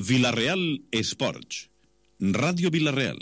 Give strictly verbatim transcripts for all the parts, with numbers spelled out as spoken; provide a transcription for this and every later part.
Vila-real Esports. Ràdio Vila-real.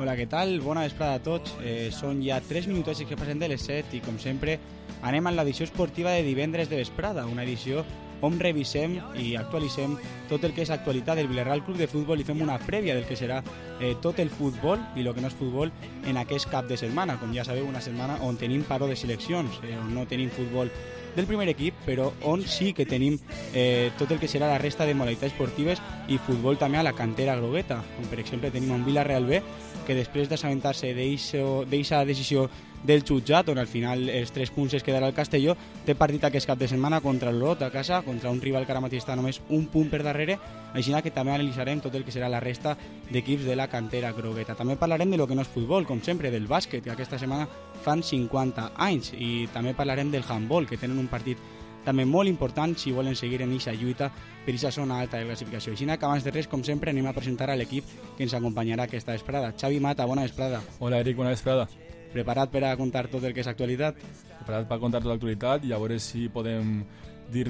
Hola, què tal? Bona vesprada a tots. Eh, són ja tres minuts que passen de les set i, com sempre, anem a l'edició esportiva de divendres de vesprada, una edició on revisem i actualitzem tot el que és actualitat del Vila-real Club de Futbol i fem una prèvia del que serà eh, tot el futbol i el que no és futbol en aquest cap de setmana. Com ja sabeu, una setmana on tenim paro de seleccions, eh, on no tenim futbol del primer equip, però on sí que tenim eh, tot el que serà la resta de modalitats esportives i futbol també a la cantera grogueta, on per exemple tenim un Vila-real B que després d'assabentar-se d'aquesta decisió del jutjat, on al final els tres punts es quedarà al Castelló, té partit aquest cap de setmana contra l'Olot a casa, contra un rival que ara mateix està només un punt per darrere, així que també analitzarem tot el que serà la resta d'equips de la cantera grogueta. També parlarem de lo que no és futbol, com sempre, del bàsquet, que aquesta setmana fan cinquanta anys, i també parlarem del handball, que tenen un partit també molt important si volen seguir en aquesta lluita per aquesta zona alta de classificació. Així que abans de res, com sempre, anem a presentar a l'equip que ens acompanyarà aquesta vesprada. Xavi Mata, bona vesprada. Hola, Eric, bona vesprada. Preparat per a contar tot el que és actualitat? Preparat per a contar tota l'actualitat i a veure si podem dir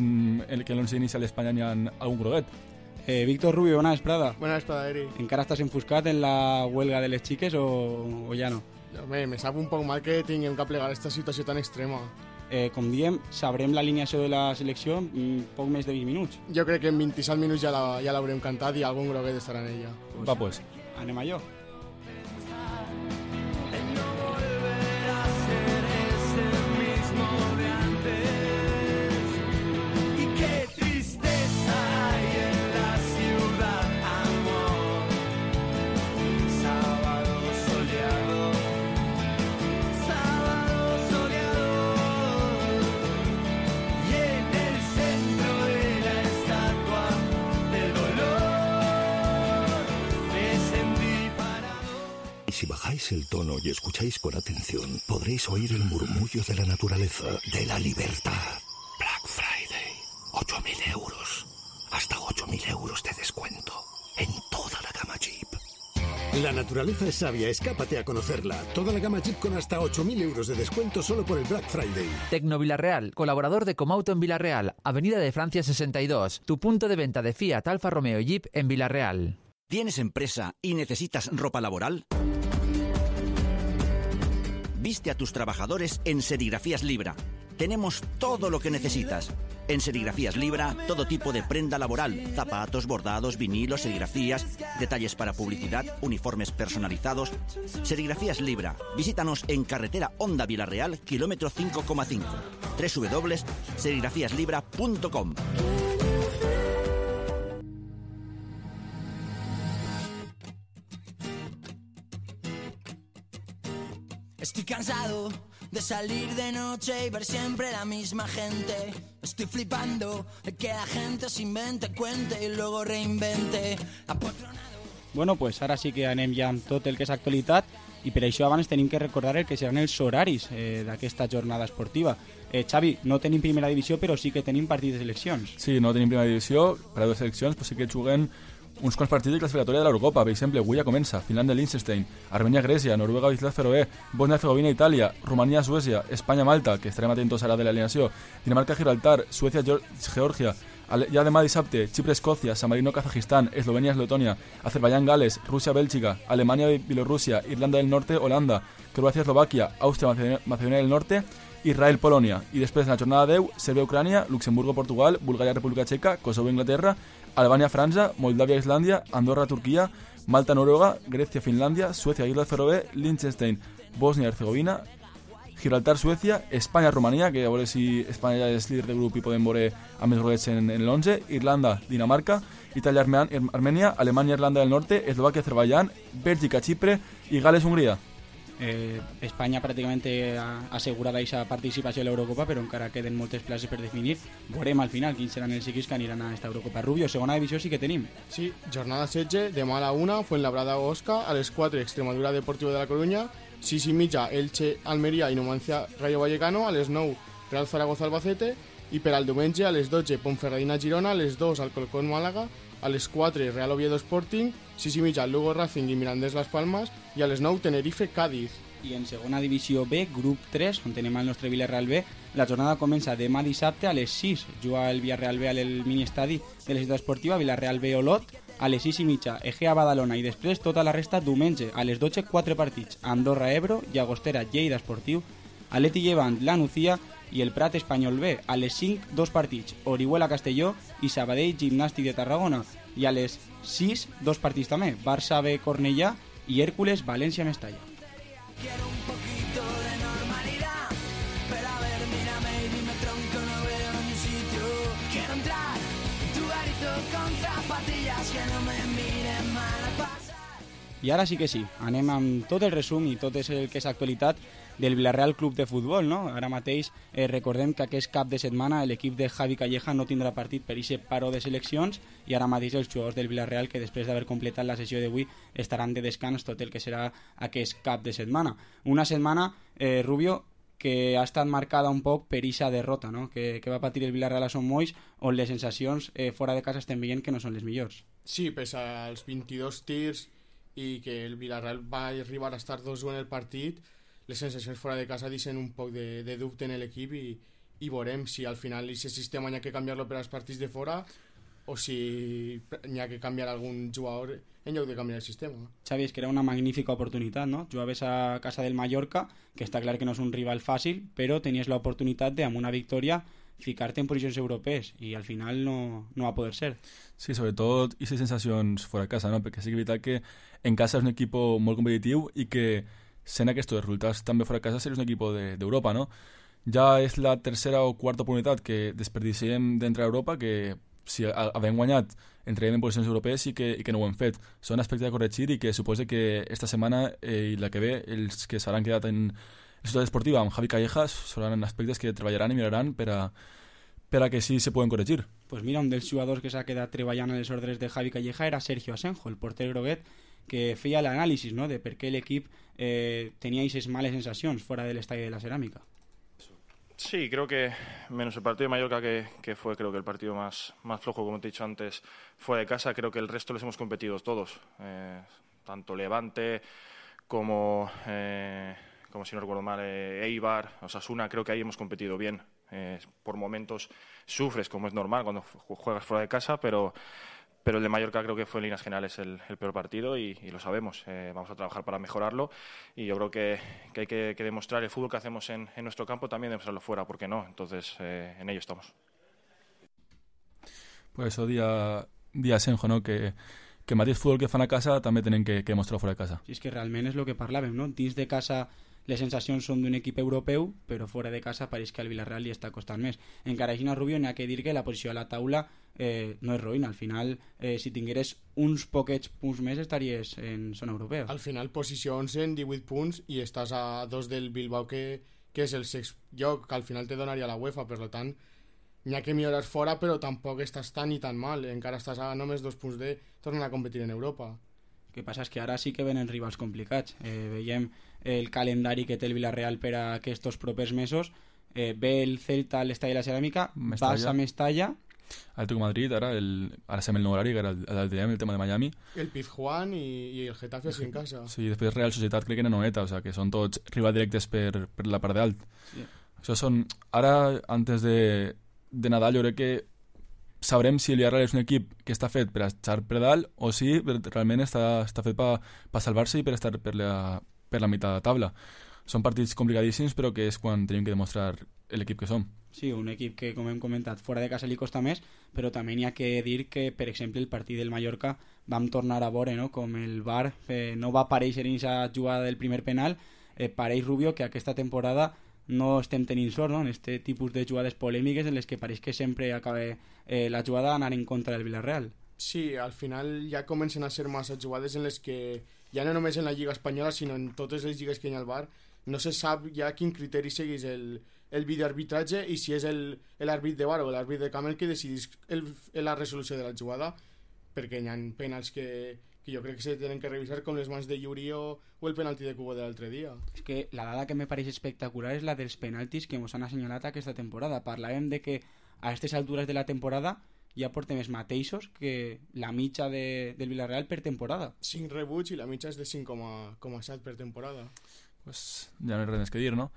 que l'onze inicial d'Espanya n'hi ha algun groguet. Eh, Víctor Rubio, bona vesprada. Bona vesprada, Eric. Encara estàs enfoscat en la huelga de les xiques o, o ja no? Home, me sap un poc mal que tinguem que plegar aquesta situació tan extrema. Eh, com diem, sabrem l'alineació de la selecció en poc més de vint minuts. Jo crec que en vint-i-set minuts ja la, ja l'haurem cantat i algun groguet estarà en ella. Pues, Va, pues. Anem a allò. Si bajáis el tono y escucháis con atención, podréis oír el murmullo de la naturaleza, de la libertad. Black Friday, ocho mil euros. Hasta ocho mil euros de descuento en toda la gama Jeep. La naturaleza es sabia, escápate a conocerla. Toda la gama Jeep con hasta ocho mil euros de descuento solo por el Black Friday. Tecno Vila-real, colaborador de Comauto en Vila-real, Avenida de Francia sesenta y dos, tu punto de venta de Fiat, Alfa Romeo y Jeep en Vila-real. ¿Tienes empresa y necesitas ropa laboral? Viste a tus trabajadores en Serigrafías Libra. Tenemos todo lo que necesitas. En Serigrafías Libra, todo tipo de prenda laboral, zapatos, bordados, vinilos, serigrafías, detalles para publicidad, uniformes personalizados. Serigrafías Libra. Visítanos en carretera Honda Vila-real, kilómetro cinco coma cinco. doble u doble u doble u punto serigrafías libra punto com. Estoy cansado de salir de noche y ver siempre la misma gente. Estoy flipando de que la gente se invente, cuente y luego reinvente. Apotronado. Bueno, pues ara sí que anem ja amb tot el que és actualitat i per això abans tenim que recordar el que seran els horaris eh, d'aquesta jornada esportiva. Eh, Xavi, no tenim primera divisió, però sí que tenim partits de seleccions. Sí, no tenim primera divisió, per a dues seleccions, però sí que juguen uns quants partits de classificatòria de l'Eurocopa. Per exemple, avui ja comença Finlàndia-Liechtenstein, Armènia-Grècia, Noruega-Islas Feroe, Bòsnia-Hercegovina-Itàlia, Romania-Suècia, Espanya-Malta, que estarem atentos ara de l'alineació, Dinamarca-Gibraltar, Suècia-Geòrgia, ja demà dissabte, Xipre-Escòcia, San Marino-Kazajistán, Eslovènia-Letònia, Azerbaiyán-Gales, Rússia-Bèlgica, Alemanya-Bielorússia, Irlanda del Norte-Holanda, Croàcia-Eslovàquia, Àustria-Macedònia del Norte, Israel-Polònia. I després, en la jornada deu, Sèrbia-Ucrània, Luxemburgo-Portugal, Bulgària-República Txeca, Kosovo-Inglaterra, Albània-França, Moldàvia-Islàndia, Andorra-Turquia, Malta-Noruega, Grècia-Finlàndia, Suècia-Islas Feroe, Liechtenstein, Bòsnia-Hercegovina, Gibraltar-Suècia, Espanya-Romania, que a veure si Espanya ja és líder de grup i podem veure amb més golets en, en l'onze, Irlanda-Dinamarca, Itàlia-Armènia, Alemanya-Irlanda del Norte, Eslovàquia-Azerbaiyán, Bèlgica-Xipre i Gales-Hongria. Eh, Espanya pràcticament ha assegurat aquesta participació a l'Eurocopa, però encara queden moltes places per definir. Veurem al final quins seran els equips que aniran a aquesta Eurocopa. Rubio, segona divisió sí que tenim. Sí, jornada setze, demà a la una, Fuenlabrada Osca, a les quatre, Extremadura Deportivo de la Coruña, sis i mitja, Elche, Almeria i Numancia Rayo Vallecano, a les nou, Real Zaragoza Albacete, i per al diumenge a les dotze, Ponferradina Girona, a les dos, Alcorcón Màlaga, a les quatre, Real Oviedo Sporting, sis i mitja, Lugo Racing i Mirandés Las Palmas, i a les nou, Tenerife Cádiz. I en segona divisió B, grup tres, on tenim el nostre Villarreal B, la jornada comença demà dissabte a les sis. Juga el Villarreal B al miniestadi de la ciutat esportiva, Villarreal B Olot, a les sis i mitja, Egea Badalona, i després tota la resta diumenge, a les dotze, quatre partits, Andorra Ebro, Llagostera Lleida Esportiu, Atleti Llevant La Nucía i el Prat Espanyol B, a les cinc, dos partits, Orihuela Castelló i Sabadell Gimnàstic de Tarragona, i a les sis, dos partits també, Barça B Cornellà i Hércules València Mestalla. Quiero un poquito de normalidad, pero a ver, mírame y dime tronco, no veo ni sitio. Quiero entrar en tu garito con zapatillas que no me miren mal a pasar. I ara sí que sí, anem amb tot el resum i tot el que és actualitat del Villarreal Club de Futbol, no? Ara mateix eh, recordem que aquest cap de setmana l'equip de Javi Calleja no tindrà partit per aquest paro de seleccions i ara mateix els jugadors del Villarreal, que després d'haver completat la sessió d'avui estaran de descans tot el que serà aquest cap de setmana. Una setmana, eh, Rubio, que ha estat marcada un poc per aquesta derrota, no? que, que va patir el Villarreal a Son Moix, on les sensacions eh, fora de casa estem veient que no són les millors. Sí, pese als vint-i-dos tirs i que el Villarreal va arribar a estar dos u en el partit, les sensacions fora de casa deixen un poc de, de dubte en l'equip i, i veurem si al final aquest sistema hi ha que canviar-lo per als partits de fora o si hi ha que canviar algun jugador en lloc de canviar el sistema. Xavi, és que era una magnífica oportunitat, no? Jugaves a casa del Mallorca, que està clar que no és un rival fàcil, però tenies l'oportunitat de, amb una victòria, ficar-te en posicions europees i al final no, no va poder ser. Sí, sobretot i les sensacions fora de casa, no? Perquè sí que és veritat que en casa és un equip molt competitiu i que sent aquests resultats també fora de casa seria un equip d'Europa, no? Ja és la tercera o quarta oportunitat que desperdiciem d'entrar a Europa, que si havem guanyat entrem en posicions europees i que, i que no ho hem fet. Són aspectes a corregir i que suposa que esta setmana eh, i la que ve els que s'hauran quedat en la ciutat esportiva amb Javi Callejas seran aspectes que treballaran i miraran per a, per a que sí se poden corregir. Pues mira, un dels jugadors que s'ha quedat treballant a les ordres de Javi Calleja era Sergio Asenjo, el porter groguet, que feia l'anàlisi, ¿no?, de per què l'equip eh, tenía esas malas sensaciones fuera del Estadio de la Cerámica. Sí, creo que menos el partido de Mallorca, que, que fue creo que el partido más, más flojo, como te he dicho antes, fuera de casa, creo que el resto les hemos competido todos, eh, tanto Levante como, eh, como si no recuerdo mal, eh, Eibar, Osasuna, creo que ahí hemos competido bien. Eh, por momentos sufres, como es normal cuando juegas fuera de casa, pero... Pero el de Mallorca creo que fue en líneas generales el, el peor partido y, y lo sabemos. Eh, vamos a trabajar para mejorarlo y yo creo que, que hay que, que demostrar el fútbol que hacemos en, en nuestro campo, también demostrarlo fuera, ¿por qué no? Entonces, eh, en ello estamos. Pues eso, día, día Asenjo, ¿no? Que, que mateix fútbol que fan a casa també tenen que, que demostrar fora de casa. Sí, és que realment és el que parlàvem, no? Dins de casa les sensacions són d'un equip europeu, però fora de casa pareix que al Villarreal li està costant més. Encara així, Rubio, n'hi ha que dir que la posició a la taula eh, no és roïna. Al final, eh, si tingueres uns poquets punts més, estaries en zona europea. Al final, posició onze en divuit punts i estàs a dos del Bilbao, que, que és el sext lloc, que al final te donaria la UEFA. Per tant, n'hi ha que millorar fora, però tampoc estàs tan i tan mal. Encara estàs a només dos punts de tornar a competir en Europa. El que passa és que ara sí que venen rivals complicats. Eh, veiem el calendari que té el Villarreal per a aquests propers mesos. Eh, ve el Celta a l'Estadi de la Ceràmica, vas a Mestalla. Atlético Madrid, ara, el, ara sem el nou horari, que era el, el, el tema de Miami. El Pizjuán i, i el Getafe així en casa. Sí, després Real Societat crec que en Anoeta, o sea, que són tots rivals directes per, per la part d'alt. Sí. Això són... Ara, antes de, de Nadal, jo crec que sabrem si el Villarreal és un equip que està fet per estar per dalt o si realment està, està fet per pa salvar-se i per estar per la, per la meitat de la taula. Són partits complicadíssims, però que és quan tenim que demostrar l'equip que som. Sí, un equip que, com hem comentat, fora de casa li costa més, però també n'hi ha que dir que, per exemple, el partit del Mallorca vam tornar a veure, no?, com el V A R eh, no va aparèixer en aquesta jugada del primer penal. Eh, pareix, Rubio, que aquesta temporada no estem tenint sort, no?, en aquest tipus de jugades polèmiques en les que pareix que sempre acaba eh, la jugada anar en contra del Villarreal. Sí, al final ja comencen a ser massa jugades en les que ja no només en la Lliga Espanyola, sinó en totes les lligues que hi ha al V A R, no se sap ja quin criteri segueix el, el videoarbitratge i si és l'àrbit de V A R o l'àrbit de camp el que decidís el, la resolució de la jugada, perquè hi ha penals que, que jo crec que se tenen que revisar, com les mans de Yuri o, o el penalti de Cubo de l'altre dia. És que la dada que me pareix espectacular és la dels penaltis que ens han assenyalat aquesta temporada. Parlàvem de que a aquestes altures de la temporada ja portem els mateixos que la mitja de, del Villarreal per temporada. cinc rebuts i la mitja és de cinc coma set per temporada. Pues ja no hay res més que dir, no?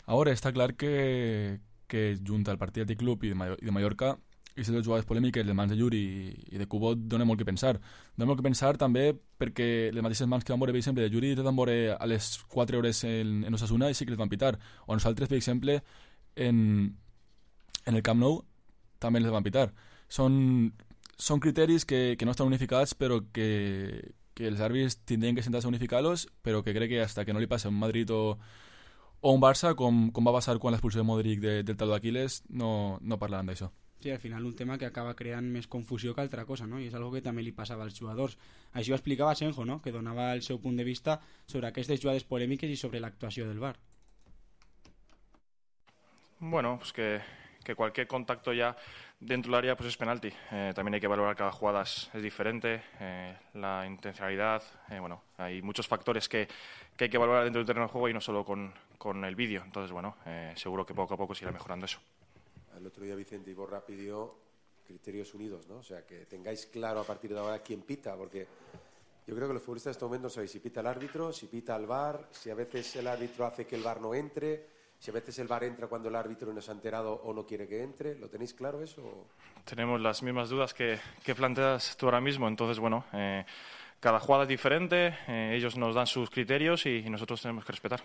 Ahora està clar que, que junta el partit del club i de, Mallor- i de Mallorca i les dues jugades polèmiques, les mans de Yuri i, i de Cubot, dona molt que pensar. Dona molt que pensar també perquè les mateixes mans que van veure, per exemple, de Yuri les van veure a les quatre hores en, en Osasuna i sí que les van pitar. O nosaltres, per exemple, en, en el Camp Nou també les van pitar. Són, són criteris que, que no estan unificats, però que, que els àrbits tindrien que sentar-se a unificar-los, però que crec que hasta que no li passi a un Madrid o, o un Barça, com, com va passar quan l'expulsió de Modric de, del taló d'Aquiles, no, no parlaran d'això. Sí, al final un tema que acaba creant més confusió que altra cosa, no? I és algo que també li passava als jugadors. Això ho explicava Senjo, no? Que donava el seu punt de vista sobre aquestes jugades polèmiques i sobre l'actuació del V A R. Bueno, pues que, que cualquier contacto ya dentro del área pues es penalti. Eh, también hay que valorar cada jugada es, es diferente, eh, la intencionalidad, eh, bueno, hay muchos factores que, que hay que valorar dentro del terreno de juego y no solo con, con el vídeo. Entonces, bueno, eh, seguro que poco a poco se irá mejorando eso. El otro día Vicente Iborra pidió criterios unidos, ¿no? O sea, que tengáis claro a partir de ahora quién pita, porque yo creo que los futbolistas en este momento no sabéis si pita el árbitro, si pita el V A R, si a veces el árbitro hace que el V A R no entre, si a veces el V A R entra cuando el árbitro no se ha enterado o no quiere que entre. ¿Lo tenéis claro eso? Tenemos las mismas dudas que, que planteas tú ahora mismo, entonces, bueno, eh, cada jugada es diferente, eh, ellos nos dan sus criterios y, y nosotros tenemos que respetar.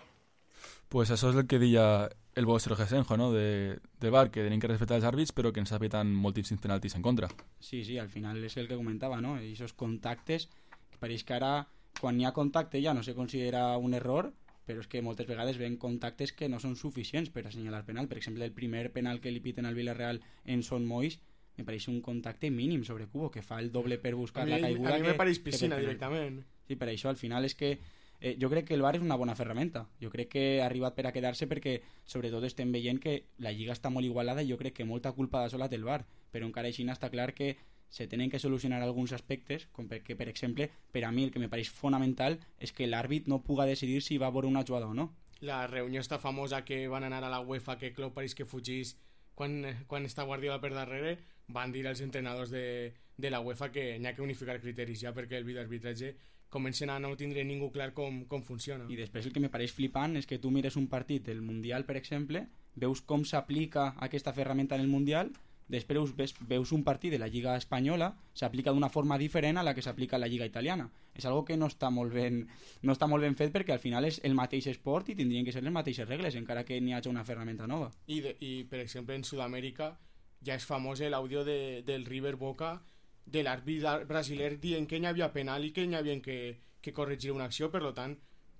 Pues això és el que deia el bo Sergio Senjo, no? de, de V A R, que tenim que respectar els àrbits però que ens apeten moltíssims penaltis en contra. Sí, sí, al final és el que comentava, no? I esos contactes, que pareix que ara quan hi ha contacte ja no se considera un error, però és que moltes vegades ven contactes que no són suficients per assenyalar penal. Per exemple, el primer penal que li piten al Villarreal en Son Moix me pareix un contacte mínim sobre Cubo, que fa el doble per buscar a mi, la caiguda. A mi me que, pareix piscina directament. Sí, per això al final és que Eh, jo crec que el V A R és una bona ferramenta. Jo crec que ha arribat per a quedar-se perquè sobretot estem veient que la Lliga està molt igualada i jo crec que molta culpa de sola té el V A R, però encara així està clar que se tenen que solucionar alguns aspectes, com perquè, per exemple, per a mi el que me pareix fonamental és que l'àrbit no puga decidir si va veure una jugada o no. La reunió està famosa que van anar a la UEFA, que Klopp pareix que fugís quan, quan està Guardiola per darrere, van dir als entrenadors de, de la UEFA que n'hi ha que unificar criteris ja perquè el videoarbitratge comencen a no tindre ningú clar com, com funciona. I després el que me pareix flipant és que tu mires un partit del Mundial, per exemple, veus com s'aplica aquesta ferramenta en el Mundial, després veus, veus un partit de la Lliga Espanyola, s'aplica d'una forma diferent a la que s'aplica a la Lliga Italiana. És algo que no està molt ben, no està molt ben fet perquè al final és el mateix esport i tindrien que ser les mateixes regles, encara que n'hi hagi una ferramenta nova. I, de, i per exemple, en Sud-amèrica ja és famós l'àudio de, del River Boca de l'àrbit brasiler dient que hi havia penal i que hi havia que, que corregir una acció, per tant,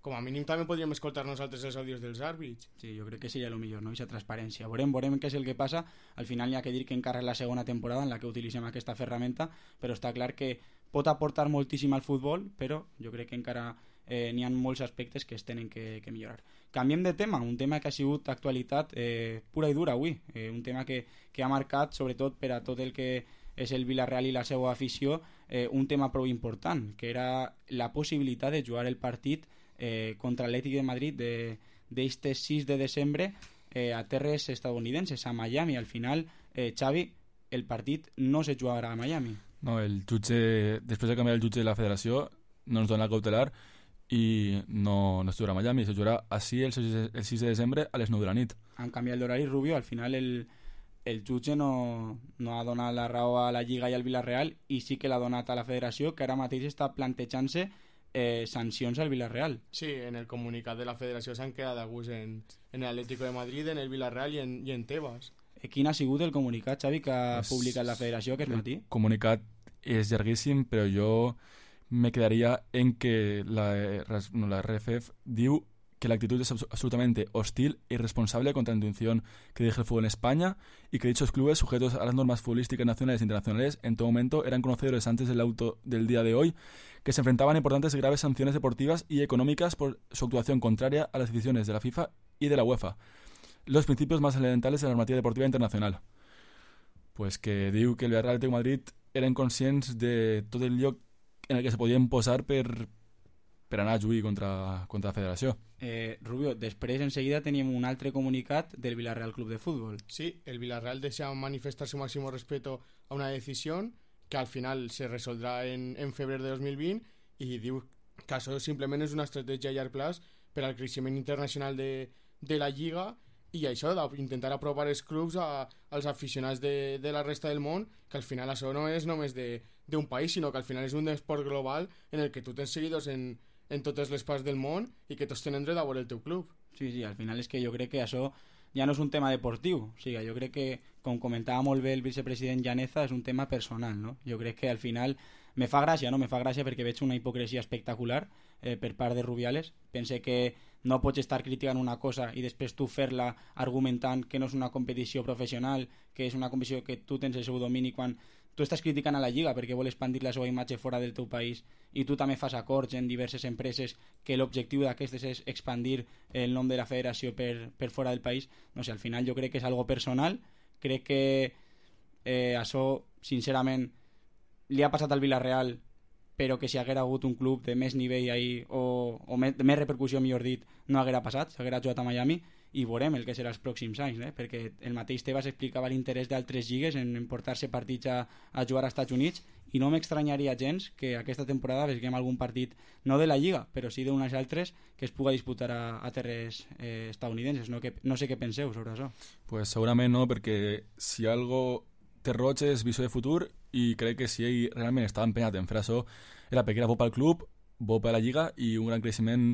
com a mínim també podríem escoltar nosaltres els àudios dels àrbits. Sí, jo crec que seria el millor, no? Aquesta transparència. Veurem, veurem què és el que passa. Al final hi ha que dir que encara és la segona temporada en la que utilitzem aquesta ferramenta, però està clar que pot aportar moltíssim al futbol, però jo crec que encara eh, n'hi ha molts aspectes que es tenen que, que millorar. Canviem de tema, un tema que ha sigut actualitat eh, pura i dura avui, eh, un tema que, que ha marcat sobretot per a tot el que és el Villarreal i la seva afició, eh, un tema prou important, que era la possibilitat de jugar el partit eh, contra l'Atlètic de Madrid d'este sis de desembre eh, a terres estadounidenses, a Miami. Al final, eh, Xavi, el partit no se jugarà a Miami. No, el jutge, després de canviar el jutge de la federació, no ens dona el cautelar i no, no es jugarà a Miami, se jugarà així el sis de desembre a les nou de la nit. Han canviat l'horari, Rubio, al final el el jutge no, no ha donat la raó a la Lliga i al Villarreal i sí que l'ha donat a la federació, que ara mateix està plantejant-se eh, sancions al Villarreal. Sí, en el comunicat de la federació s'han quedat a gust en, en l'Atlético de Madrid, en el Villarreal i en, i en Tebas. Eh, quin ha sigut el comunicat, Xavi, que ha es, publicat la federació aquest matí? El comunicat és llarguíssim, però jo me quedaria en que la, no, la R F F diu que la actitud es abs- absolutamente hostil e irresponsable contra la intención que dirige el fútbol en España y que dichos clubes sujetos a las normas futbolísticas nacionales e internacionales en todo momento eran conocedores antes del auto del día de hoy que se enfrentaban a importantes y graves sanciones deportivas y económicas por su actuación contraria a las decisiones de la FIFA y de la UEFA, los principios más elementales de la normativa deportiva internacional. Pues que diu que el Villarreal i el Madrid eren conscients de tot el lloc en el que se podien posar per, per anar a jugar contra, contra la federació. Eh, Rubio, després enseguida teníem un altre comunicat del Villarreal Club de Fútbol. Sí, el Villarreal desea manifestar su máximo respeto a una decisión que al final se resoldrà en, en febrer de dos mil vint i diu que això simplement és una estratègia a llarg plaç per al creixement internacional de, de la Lliga i això, d'intentar apropar els clubs a, als aficionats de, de la resta del món, que al final això no és només d'un país, sinó que al final és un esport global en el que tu tens seguidors en, en totes les parts del món i que tots tenen dret a veure el teu club. Sí, sí, al final és que jo crec que això ja no és un tema deportiu, o sigui, jo crec que, com comentava molt bé el vicepresident Llaneza, és un tema personal, no? Jo crec que al final me fa gràcia, no? Me fa gràcia perquè veig una hipocresia espectacular eh, per part de Rubiales. Pense que no pots estar criticant una cosa i després tu fer-la argumentant que no és una competició professional, que és una competició que tu tens el seu domini quan tu estàs criticant a la Lliga perquè vol expandir la seva imatge fora del teu país i tu també fas acords en diverses empreses que l'objectiu d'aquestes és expandir el nom de la federació per, per fora del país. No sé, al final jo crec que és algo personal, crec que eh, això, sincerament, li ha passat al Villarreal, però que si haguera hagut un club de més nivell ahí, o, o més, de més repercussió, millor dit, no haguera passat, s'haguera jugat a Miami, i veurem el que serà els pròxims anys, eh? Perquè el mateix Tebas explicava l'interès d'altres lligues en, en portar-se partits a, a jugar als Estats Units, i no m'extranyaria gens que aquesta temporada veiem algun partit, no de la Lliga, però sí d'unes altres, que es puga disputar a, a terres eh, estadounidenses. No, que, no sé què penseu sobre això. Pues segurament no, perquè si algo té roig és visió de futur i crec que si ell realment estava empenyat en fer això era perquè era bo pel club, bo per la Lliga i un gran creixement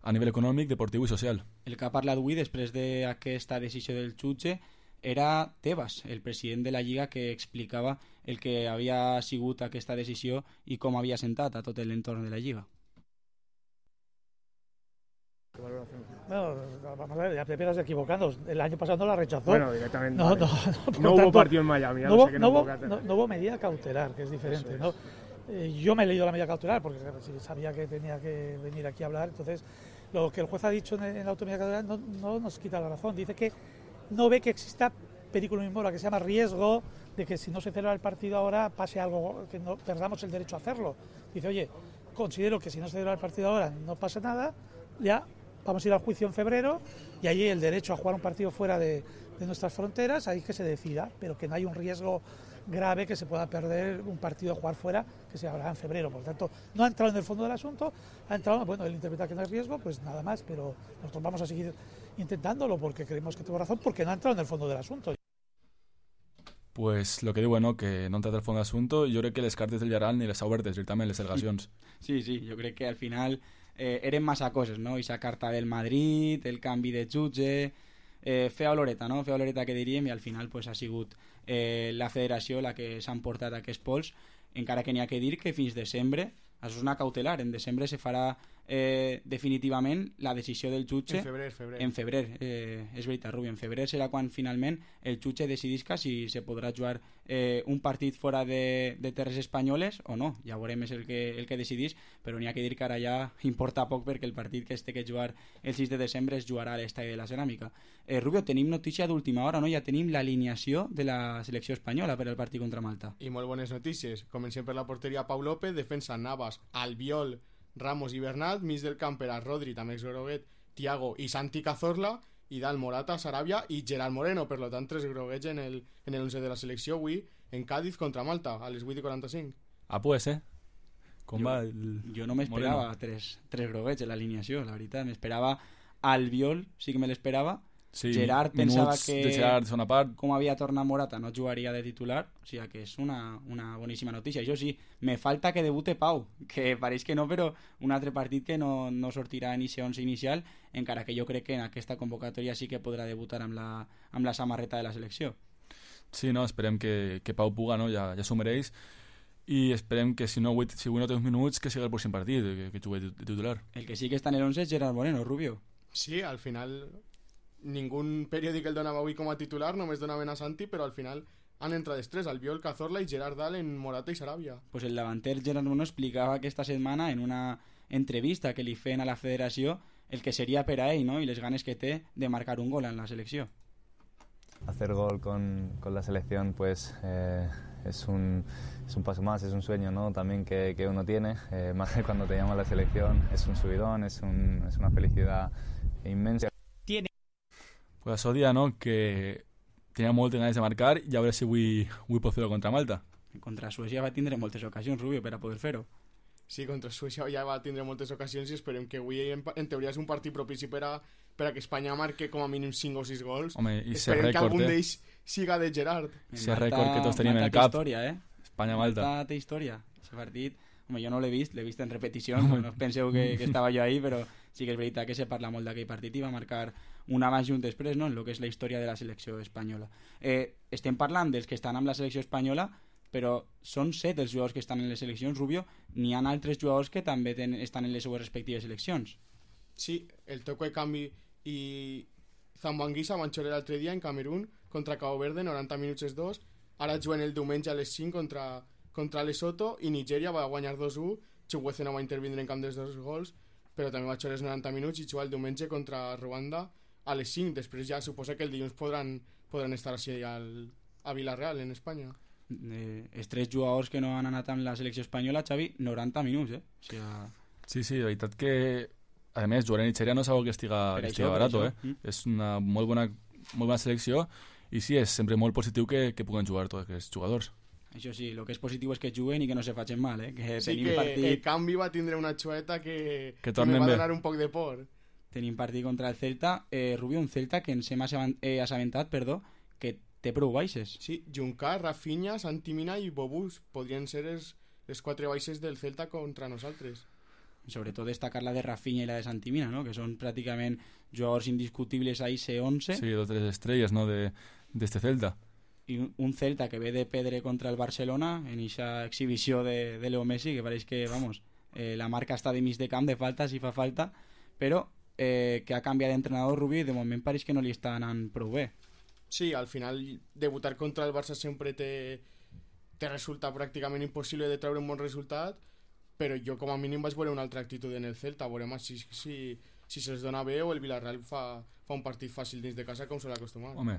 a nivell econòmic, deportiu i social. El que ha parlat avui després d'aquesta decisió del jutge era Tebas, el president de la Lliga, que explicava el que havia sigut aquesta decisió i com havia sentat a tot l'entorn de la Lliga. Bueno, vamos a ver, ya te pegas equivocando. El año pasado no la rechazó. Bueno, directamente. No, Vale. no, no, no hubo tanto, partido en Miami. Ya no, no, hubo, sé qué no, no, hubo, no, no hubo medida cautelar, que es diferente. Es. ¿no? Eh, yo me he leído la medida cautelar porque sabía que tenía que venir aquí a hablar. Entonces, lo que el juez ha dicho en, en la autonomía cautelar no, no nos quita la razón. Dice que no ve que exista película inmora, que se llama riesgo de que si no se celebra el partido ahora pase algo, que no perdamos el derecho a hacerlo. Dice, oye, considero que si no se celebra el partido ahora no pasa nada, ya vamos a ir al juicio en febrero y allí el derecho a jugar un partido fuera de, de nuestras fronteras, ahí que se decida, pero que no hay un riesgo grave que se pueda perder un partido a jugar fuera, que se hablará en febrero. Por lo tanto, no ha entrado en el fondo del asunto, ha entrado, bueno, él interpreta que no hay riesgo, pues nada más, pero nosotros vamos a seguir intentándolo porque creemos que tengo razón, porque no ha entrado en el fondo del asunto. Pues lo que diu, no, que no entra del fons d'assumpte, jo crec que les cartes del Villarreal ni les ha obertes directament les delegacions. Sí, sí, jo crec que al final eh, eren massa coses, no? Esa carta del Madrid, el canvi de jutge, eh, fea oloreta, no? Fea oloreta que diríem, i al final pues, ha sigut eh, la federació la que s'han portat aquests pols, encara que n'hi ha que dir que fins desembre, això és una cautelar, en desembre se farà eh, definitivament la decisió del jutge en febrer, febrer. en febrer eh, és veritat, Rubi, en febrer serà quan finalment el jutge decidisca si se podrà jugar eh, un partit fora de, de terres espanyoles o no, ja veurem és el que, el que decidís, però n'hi ha que dir que ara ja importa poc perquè el partit que es té que jugar el sis de desembre es jugarà a l'Estadi de la Ceràmica. eh, Rubio, tenim notícia d'última hora, no? Ja tenim l'alineació de la selecció espanyola per al partit contra Malta. I molt bones notícies, comencem per la porteria Pau López, defensa Navas, Albiol, Ramos i Bernat, mig del camp per a Rodri, també ex-groguet, Thiago i Santi Cazorla, i dalt Morata, Sarabia i Gerard Moreno, per lo tant tres groguets en el, en el once de la selecció avui en Cádiz contra Malta, a les vuit i quaranta-cinc. Ah, pues, eh? Com jo, va el jo no m'esperava tres, tres groguets en l'alineació, la veritat, m'esperava Albiol, sí que me l'esperava. Sí, Gerard pensava que de Gerard, segona part. com havia tornat Morata no jugaria de titular, o sigui que és una, una boníssima notícia. Això sí, me falta que debute Pau, que pareix que no, però un altre partit que no, no sortirà en inici onze inicial, encara que jo crec que en aquesta convocatòria sí que podrà debutar amb la, amb la samarreta de la selecció. Sí, no, esperem que, que Pau puga, no? Ja, ja s'ho mereix, i esperem que si no, si avui no té uns minuts que sigui el pròxim partit, que, que jugui de titular. El que sí que està en el onze és Gerard Moreno, Rubio. Sí, al final ningún periòdic el donava avui com a titular, només donaven a Santi, però al final han entrat els tres, Albiol, Cazorla i Gerard Dalen, Morata i Sarabia. Pues el davanter Gerard Moreno explicava aquesta setmana en una entrevista que li feien a la federació el que seria per a ell, ¿no? I les ganes que té de marcar un gol en la selecció. Hacer gol con, con la selección pues eh, es, un, es un paso más, es un sueño, ¿no? También que, que uno tiene, eh, más que cuando te llama la selección, es un subidón, es, un, es una felicidad inmensa. Tiene. Pues això dia, no?, que tenia moltes ganes de marcar i a veure si avui, avui pot fer-ho contra Malta. Contra Suècia va tindre moltes ocasions, Rubio, per a poder fer-ho. Sí, contra Suècia ja va tindre moltes ocasions i esperem que avui en, en teoria és un partit propici per a, per a que Espanya marque com a mínim cinc o sis gols. Home, i esperem rècord, que algun eh? d'ells siga de Gerard. Ese rècord que tots tenim en el cap. Història, eh? Espanya-Malta. Malta té història. Ese partit, home, jo no l'he vist, l'he vist en repetició, no, no penseu que, que estava jo ahí, però sí que és veritat que se parla molt d'aquell partit i va marcar un abans i un després, no?, en el que és la història de la selecció espanyola. Eh, estem parlant dels que estan amb la selecció espanyola, però són set els jugadors que estan en les seleccions, Rubio. N'hi ha altres jugadors que també ten, estan en les seues respectives seleccions. Sí, el toco de canvi i Zambanguisa van xorar l'altre dia en Camerún contra Cabo Verde, noranta minuts els dos. Ara juguen el diumenge a les cinc contra, contra Lesotho i Nigèria va guanyar dos a u. Chukwueze no va intervindre en camp dels dos gols, però també va xorar els noranta minuts i jugar el diumenge contra Ruanda a les cinc. Després ja suposa que el dilluns podran, podran estar així al, a Villarreal, en Espanya. Eh, els tres jugadors que no han anat amb la selecció espanyola, Xavi, noranta minuts, eh? O sigui, sí, sí, de veritat que a més jugar en Nigèria no és algo que estiga, que estiga barat, eh? Mm. És una molt bona, molt bona selecció i sí, és sempre molt positiu que, que puguen jugar tots aquests jugadors. Això sí, el que és positiu és que juguen i que no se facin mal, eh? Que sí, tenim que partit... el canvi va tindre una xueta que, que, que me va donar un poc de por. Tenim partit contra el Celta, eh, Rubio, un Celta que ens hem assabentat, perdó, que té prou baixes. Sí, Juncà, Rafinha, Santi Mina i Bobús podrien ser els, les quatre baixes del Celta contra nosaltres. Sobretot destacar la de Rafinha i la de Santi Mina, no?, que són pràcticament jugadors indiscutibles a I C onze. Sí, dos tres estrelles, no?, de, de este Celta. I un, un Celta que ve de perdre contra el Barcelona en aquesta exhibició de, de Leo Messi, que pareix que, vamos, eh, la marca està de mig de camp, de falta, si fa falta, però eh, que ha canviat d'entrenador, Rubí, i de moment pareix que no li està anant prou bé. Sí, al final debutar contra el Barça sempre te, te resulta pràcticament impossible de treure un bon resultat, però jo com a mínim vaig veure una altra actitud en el Celta, veurem si, si, si se'ls dona bé o el Villarreal fa, fa un partit fàcil dins de casa com se l'ha acostumat. Home,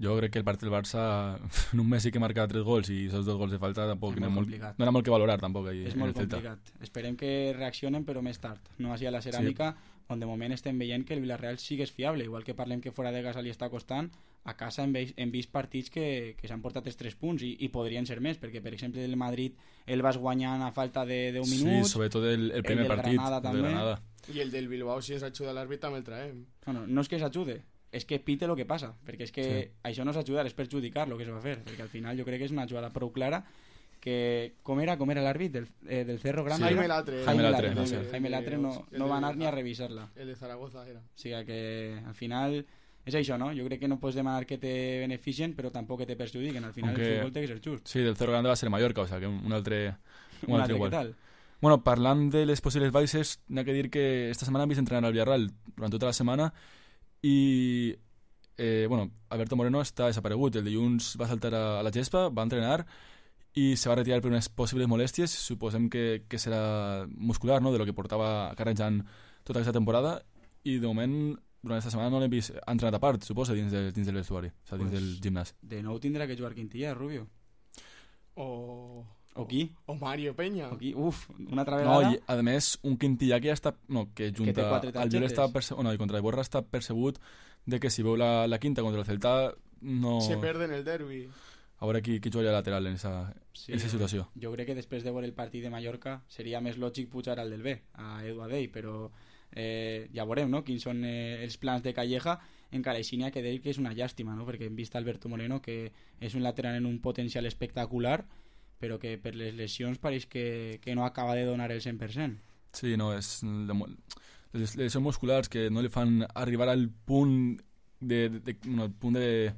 jo crec que el partit del Barça en un Messi que marca tres gols i esos dos gols de falta tampoc no, molt, no era molt que valorar tampoc ahí, és en molt el Celta. complicat, esperem que reaccionen però més tard, no així a la ceràmica, sí, on de moment estem veient que el Villarreal sí que és fiable, igual que parlem que fora de casa li està costant, a casa hem vist, hem vist partits que, que s'han portat els tres punts i, i podrien ser més, perquè per exemple el Madrid el vas guanyant a falta de deu minuts, sí, sobretot el, el primer el partit Granada, de Granada, i el del Bilbao si ens ajuda l'àrbit també el traem. Bueno, no és que s'ajude, és que pite el que passa, perquè és que sí, això no és ajudar, és perjudicar el que es va fer, perquè al final jo crec que és una jugada prou clara que, com era, com era l'àrbit del, eh, del Cerro Grande? Sí. Jaime Latre. Jaime Jaime Latre, Latre, no, no sé. Jaime Latre no, no va anar ni a revisar-la. El de Zaragoza era. O sigui que al final és això, no? Jo crec que no pots demanar que te beneficien, però tampoc que te perjudiquen. Al final Aunque, el futbol té que ser just. Sí, del Cerro Grande va ser Mallorca, o sea, que un altre, un, un altre altre igual. Què tal? Bueno, parlant de les possibles baixes, n'ha que dir que esta setmana hem vist entrenar al Villarreal durant tota la setmana i eh, bueno, Alberto Moreno està desaparegut. El dilluns va saltar a, a la gespa, va entrenar i se va retirar per unes possibles molèsties, suposem que, que serà muscular, no?, de lo que portava carregant tota aquesta temporada, i de moment durant aquesta setmana no l'hem vist entrenat a part, suposa, dins, de, dins del vestuari, o sigui, dins pues, del gimnàs. De nou tindrà que jugar Quintilla, Rubio. O... O qui? O Mario Peña. O qui? Uf, una altra vegada. No, i a més, un Quintilla que ja està... No, que junta... Que al Lloret està perce... oh, no, i contra el Borra està percebut de que si veu la, la quinta contra el Celta no... Se perde en el derbi. A veure qui, qui juga lateral en esa, sí, en esa situació. Jo crec que després de veure el partit de Mallorca seria més lògic pujar al del B, a Edu Adey, però eh, ja veurem, no?, quins són eh, els plans de Calleja. Encara així n'hi ha que dir que és una llàstima, no?, perquè hem vist Alberto Moreno, que és un lateral en un potencial espectacular, però que per les lesions pareix que, que no acaba de donar el cent per cent. Sí, no, és les lesions musculars que no li fan arribar al punt de, de, de, no, al punt de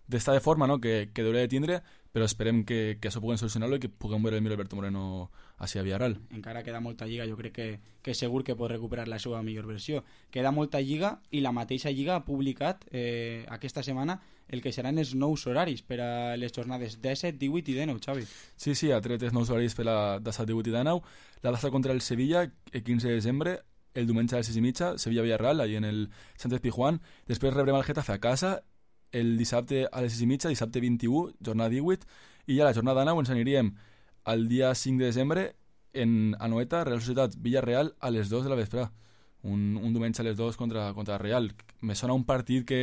d'estar de forma, no?, que, que hauria de tindre, però esperem que, que això puguem solucionar-lo i que puguem veure el millor Alberto Moreno així a Villarreal. Encara queda molta lliga, jo crec que, que segur que pot recuperar la seva millor versió. Queda molta lliga i la mateixa lliga ha publicat eh, aquesta setmana el que seran els nous horaris per a les jornades disset, divuit i dinou, Xavi. Sí, sí, ha tret els nous horaris per la disset, divuit i dinou. La data contra el Sevilla, el quinze de desembre, el diumenge a les sis i mitja, Sevilla-Villarreal, allà en el Sánchez Pizjuán. Després rebrem el Getafe a casa, el dissabte a les sis i mitja, dissabte vint-i-u, jornada divuit, i ja la jornada nou ens aniríem el dia cinc de desembre en Anoeta, Real Societat Villarreal, a les dos de la vesprada. Un, un diumenge a les dos contra, contra Real. Me sona un partit que,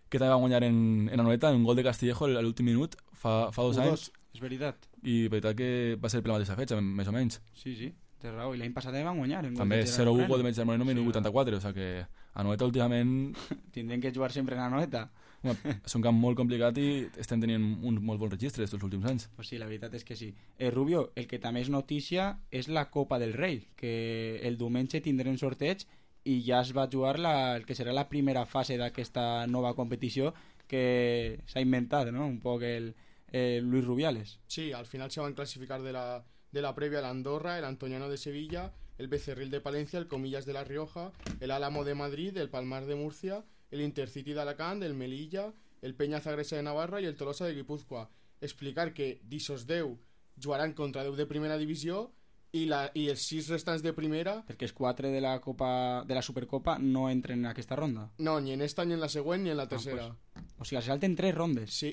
que també va guanyar en, en Anoeta, en un gol de Castillejo a l'últim minut, fa, fa dos U anys. És veritat. I veritat que va ser per la mateixa fetge, més o menys. Sí, sí, té raó. I l'any passat van guanyar. També zero u gol de Gerard Moreno, minut vuitanta-quatre, o sigui que Anoeta últimament... Tindrem que jugar sempre en Anoeta. És un camp molt complicat i estem tenint un molt bon registre aquests últims anys. Pues sí, la veritat és que sí. Eh, Rubio, el que també és notícia és la Copa del Rei, que el diumenge tindrem sorteig i ja es va jugar la, el que serà la primera fase d'aquesta nova competició que s'ha inventat, ¿no? Un poc el eh, Luis Rubiales. Sí, al final se van clasificar de la, de la previa el Andorra, el Antoniano de Sevilla, el Becerril de Palencia, el Comillas de La Rioja, el Álamo de Madrid, el Palmar de Murcia, el Intercity de Alacant, el Melilla, el Peña Zagresa de Navarra i el Tolosa de Guipúzcoa. Explicar que d'Isos deu jugaran contra deu de primera divisió i, la, i els sis restants de primera... Perquè els quatre de la, Copa, de la Supercopa no entren en aquesta ronda. No, ni en esta, ni en la següent, ni en la tercera. Ah, pues, o sigui, se salten tres rondes. Sí.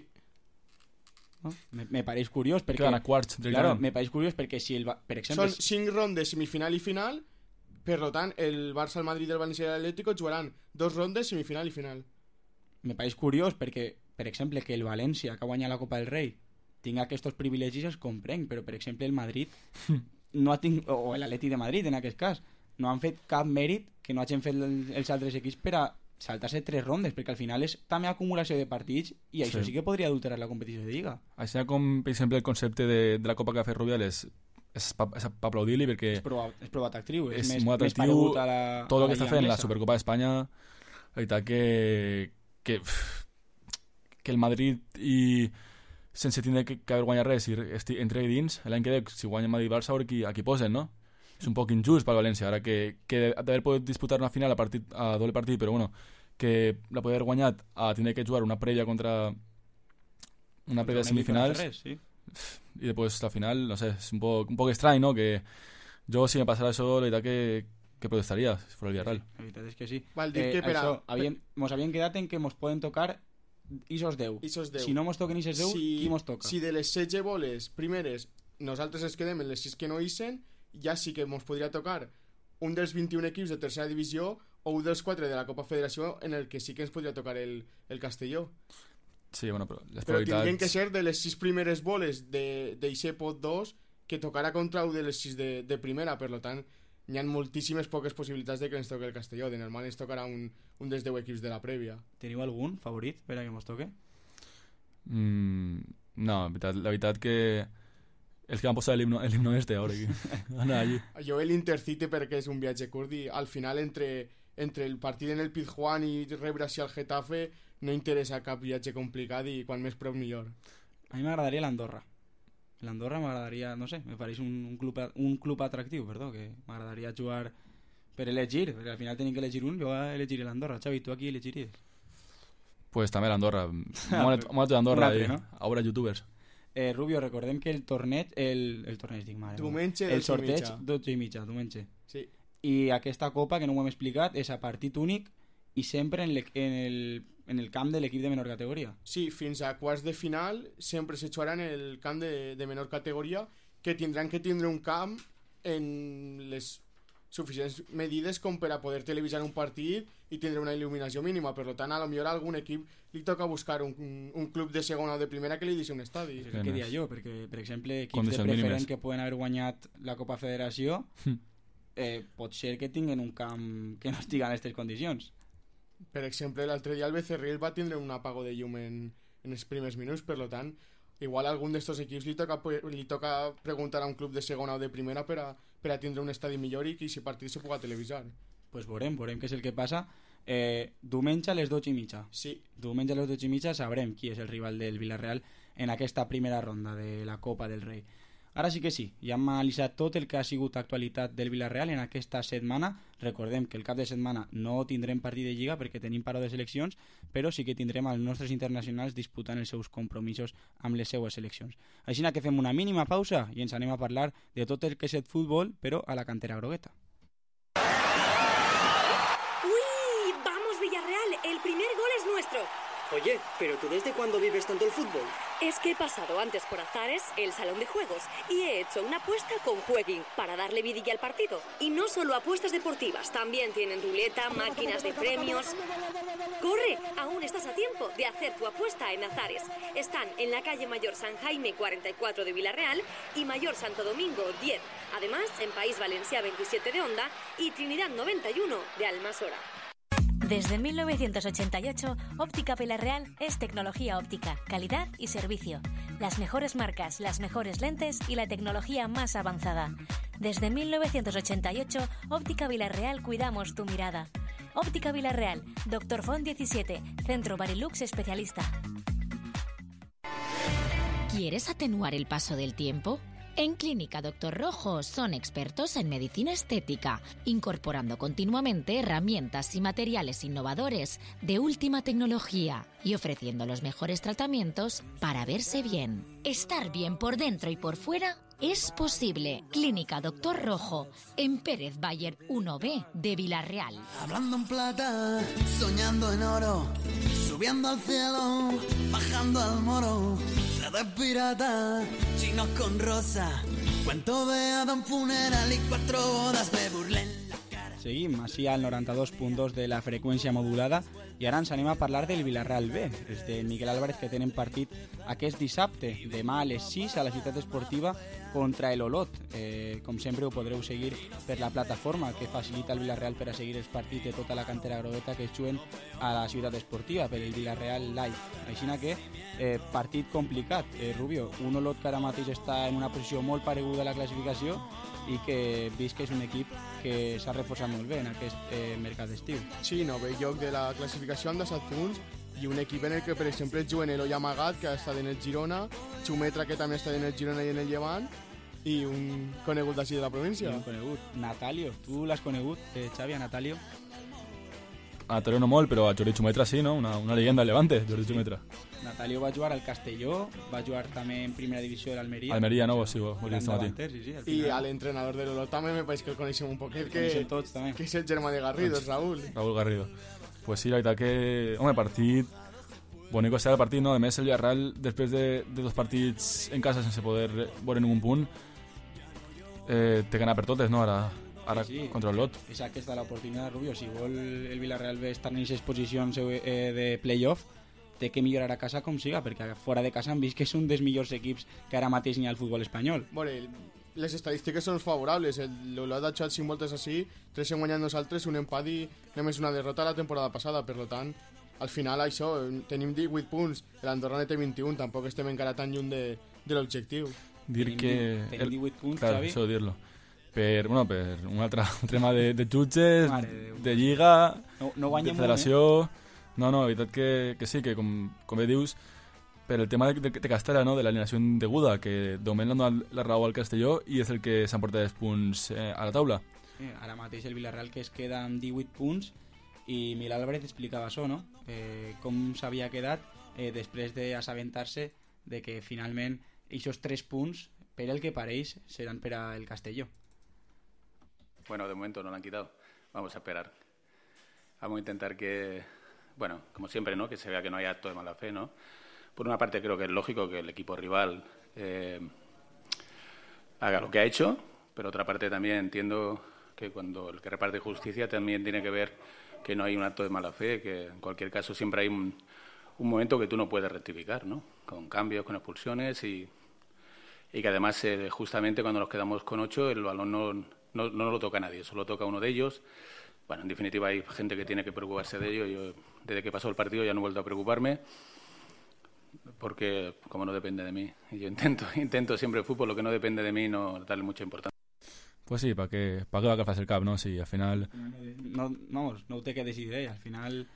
¿No? Me, me pareix curiós perquè... Quedan a quarts. Claro, me pareix curiós perquè si el... Per exemple... Són cinc rondes, semifinal i final, per tant, el Barça, el Madrid, el València i l'Atlético jugaran dos rondes, semifinal i final. Me pareix curiós perquè, per exemple, que el València, que ha guanyat la Copa del Rei, tinga aquests privilegis, els comprenc, però, per exemple, el Madrid, no ha tingut, o l'Atleti de Madrid, en aquest cas, no han fet cap mèrit que no hagin fet els altres equips per a saltar-se tres rondes, perquè al final és també acumulació de partits i això sí, sí que podria adulterar la competició de Lliga. Així com, per exemple, el concepte de, de la Copa que ha fet Rubiales és per aplaudir-li perquè és prou, és prou atractiu, és, és més, molt més atractiu paregut a la, tot el que a la està fent anglesa. la Supercopa d'Espanya. La veritat que que, que el Madrid i sense tindre que, que haver guanyat res i esti, entre dins, l'any que ve si guanya Madrid-Barça a veure qui, a qui posen, no? És un poc injust pel València ara que, que d'haver pogut disputar una final a, partit, a doble partit, però bueno, que la poder haver guanyat a tindre que jugar una prèvia contra una prèvia de semifinals res, sí. i després la final, no sé, és un poc, un poc estrany, no? Que jo si me passara això, la veritat que, que protestaria si fos el Villarreal. Sí, la veritat és que sí. Val dir eh, que per això, a... havien, mos havien quedat en que mos poden tocar Isos deu. Isos deu. Si no mos toquen Isos deu, si, qui mos toca? Si de les setze boles primeres nosaltres ens quedem en les sis que no isen, ja sí que mos podria tocar un dels vint-i-un equips de tercera divisió o un dels quatre de la Copa Federació en el que sí que ens podria tocar el, el Castelló. Sí, bueno, però les però probabilitats... tindrien que ser de les sis primeres boles d'eixe pot dos que tocarà contra un de les sis de, de primera, per tant hi ha moltíssimes poques possibilitats de que ens toque el Castelló. De normal ens tocarà un, un dels deu equips de la prèvia. Teniu algun favorit per a que mos toque? Mm, no, la veritat, la veritat que els que van posar l'himno este ara aquí. Anar allí. Jo l'Intercity perquè és un viatge curt i al final entre, entre el partit en el Pizjuán i rebre així al Getafe no interessa cap viatge complicat i quan més prop millor. A mi m'agradaria l'Andorra. L'Andorra m'agradaria, no sé, me pareix un, un, club, un club atractiu, perdó, que m'agradaria jugar per elegir, perquè al final tenim que elegir un, jo elegiré l'Andorra. Xavi, tu aquí elegiries? Pues també l'Andorra. Molt d'Andorra, no? A veure youtubers. Eh, Rubio, recordem que el torneig, el, el torneig, dic, mare, diumenge, el sorteig, dotze i mitja, diumenge. Sí. I aquesta copa, que no ho hem explicat, és a partit únic i sempre en, le, en, el, en el camp de l'equip de menor categoria. Sí, fins a quarts de final sempre se jugarà en el camp de, de menor categoria, que tindran que tindre un camp en les suficients medides com per a poder televisar un partit i tindre una il·luminació mínima. Per tant, a lo millor a algun equip li toca buscar un, un club de segona o de primera que li deixi un estadi. Sí, què diria jo? Perquè, per exemple, equips de preferent que poden haver guanyat la Copa Federació eh, pot ser que tinguen un camp que no estigui en aquestes condicions. Per exemple, l'altre dia el Becerril va tindre un apago de llum en, en els primers minuts, per tant, igual a algun d'estos equips li toca, li toca preguntar a un club de segona o de primera per a, per a tindre un estadi millor i que si partit se puga televisar. Pues veurem, veurem què és el que passa. Eh, diumenge a les dotze i mitja. Sí. Diumenge a les dotze i mitja sabrem qui és el rival del Villarreal en aquesta primera ronda de la Copa del Rei. Ara sí que sí, ja hem analitzat tot el que ha sigut actualitat del Villarreal en aquesta setmana. Recordem que el cap de setmana no tindrem partit de Lliga perquè tenim paro de seleccions, però sí que tindrem els nostres internacionals disputant els seus compromisos amb les seues seleccions. Així que fem una mínima pausa i ens anem a parlar de tot el que és el futbol, però a la cantera grogueta. El primer gol es nuestro. Oye, ¿pero tú desde cuándo vives tanto el fútbol? Es que he pasado antes por Azares, el salón de juegos, y he hecho una apuesta con Jueguin para darle vidilla al partido. Y no solo apuestas deportivas, también tienen ruleta, máquinas de premios. ¡Corre! Aún estás a tiempo de hacer tu apuesta en Azares. Están en la calle Mayor San Jaime cuarenta y cuatro de Villarreal y Mayor Santo Domingo diez. Además, en País Valencià veintisiete de Onda y Trinidad noventa y uno de Almasora. Desde mil novecientos ochenta y ocho, Óptica Villarreal es tecnología óptica, calidad y servicio. Las mejores marcas, las mejores lentes y la tecnología más avanzada. Desde mil novecientos ochenta y ocho, Óptica Villarreal cuidamos tu mirada. Óptica Villarreal, Doctor Font diecisiete, Centro Barilux especialista. ¿Quieres atenuar el paso del tiempo? En Clínica Doctor Rojo son expertos en medicina estética, incorporando continuamente herramientas y materiales innovadores de última tecnología y ofreciendo los mejores tratamientos para verse bien. Estar bien por dentro y por fuera es posible. Clínica Doctor Rojo, en Pérez Bayer uno B de Villarreal. Hablando en plata, soñando en oro, subiendo al cielo, bajando al moro. De pirata, chinos con rosa, cuento de Adam funeral y cuatro bodas, me burlé en la cara. Seguim així al noranta-dos punt dos de la freqüència modulada i ara ens anem a parlar del Villarreal B, els de Miguel Álvarez, que tenen partit aquest dissabte, demà a les sis a la ciutat esportiva contra el Olot. Eh, com sempre ho podreu seguir per la plataforma que facilita el Villarreal per a seguir els partits de tota la cantera grogueta que es juguen a la ciutat esportiva per el Villarreal Live. Així que eh, partit complicat, eh, Rubio, un Olot que ara mateix està en una posició molt pareguda a la classificació i que vist que és un equip que s'ha reforçat molt bé en aquest eh, mercat d'estiu. Sí, no ve lloc de la classificació amb disset punts i un equip en el que, per exemple, juguen el Ollà Amagat, que ha estat en el Girona, Xumetra, que també està en el Girona i en el Llevant, i un conegut d'ací de la província. I un conegut, Natalio. Tu l'has conegut, eh, Xavi, a Natalio? A Natalio no molt, però a Jordi Xumetra sí, no? Una, una leyenda del Levante, Jordi Xumetra. Natalio va jugar al Castelló, va jugar també en primera divisió de l'Almeria. Almeria, no? Sí, ho he vist matí. Sí, sí, I a l'entrenador de l'Olot també me pareix que el coneixem un poquet, que, tots, també. que és el germà de Garrido, Raúl. Raúl Garrido. Pues sí, la veritat que... Home, partit... Bonico serà el partit, no? A més, el Villarreal, després de, de dos partits en casa sense poder veure ningú punt, eh, té que anar per totes, no? Ara, ara sí, sí. Contra el Lot. És aquesta l'oportunitat, Rubio. Si vol el Villarreal bé estar en aquestes posicions eh, de play-off, té que millorar a casa com siga, perquè fora de casa han vist que és un dels millors equips que ara mateix n'hi ha al futbol espanyol. Bueno, les estadístiques són favorables. L'Olot ha jugat cinc voltes així, tres hem guanyat nosaltres, un empat i només una derrota la temporada passada. Per tant, al final això, tenim divuit punts, l'Andorra ne té vint-i-un, tampoc estem encara tan lluny de, de l'objectiu. Dir tenim, que... Tenim divuit punts, claro, Xavi. Això dir-lo. Per, bueno, per un altre tema de, de jutges, de, de lliga, no, no de federació... Eh? No, no, la veritat que, que sí, que com, com bé dius, per el tema de, de, de Castella, no? De l'alineació deguda, que de moment l'han donat la raó al Castelló i és el que s'emporta els punts eh, a la taula. Eh, ara mateix el Villarreal que es queda amb divuit punts i Miguel Álvarez explicava això, no? Eh, com s'havia quedat eh, després d'assabentar-se de que finalment aquests tres punts, per el que pareix, seran per al Castelló. Bueno, de momento no lo han quitado. Vamos a esperar. Vamos a intentar que... Bueno, como siempre, ¿no? Que se vea que no hay acto de mala fe, ¿no? Por una parte creo que es lógico que el equipo rival eh, haga lo que ha hecho, pero otra parte también entiendo que cuando el que reparte justicia también tiene que ver que no hay un acto de mala fe, que en cualquier caso siempre hay un, un momento que tú no puedes rectificar, ¿no? Con cambios, con expulsiones y, y que además eh, justamente cuando nos quedamos con ocho el balón no, no, no nos lo toca a nadie, solo toca a uno de ellos. Bueno, en definitiva hay gente que tiene que preocuparse de ello. Yo, desde que pasó el partido ya no he vuelto a preocuparme porque como no depende de mí. Y yo intento, intento siempre el fútbol, lo que no depende de mí, no darle mucha importancia. Pues sí, ¿para qué, pa què va agafar el cap, no? Sí, al final... No, vamos, no ho té que decidir ell. Al final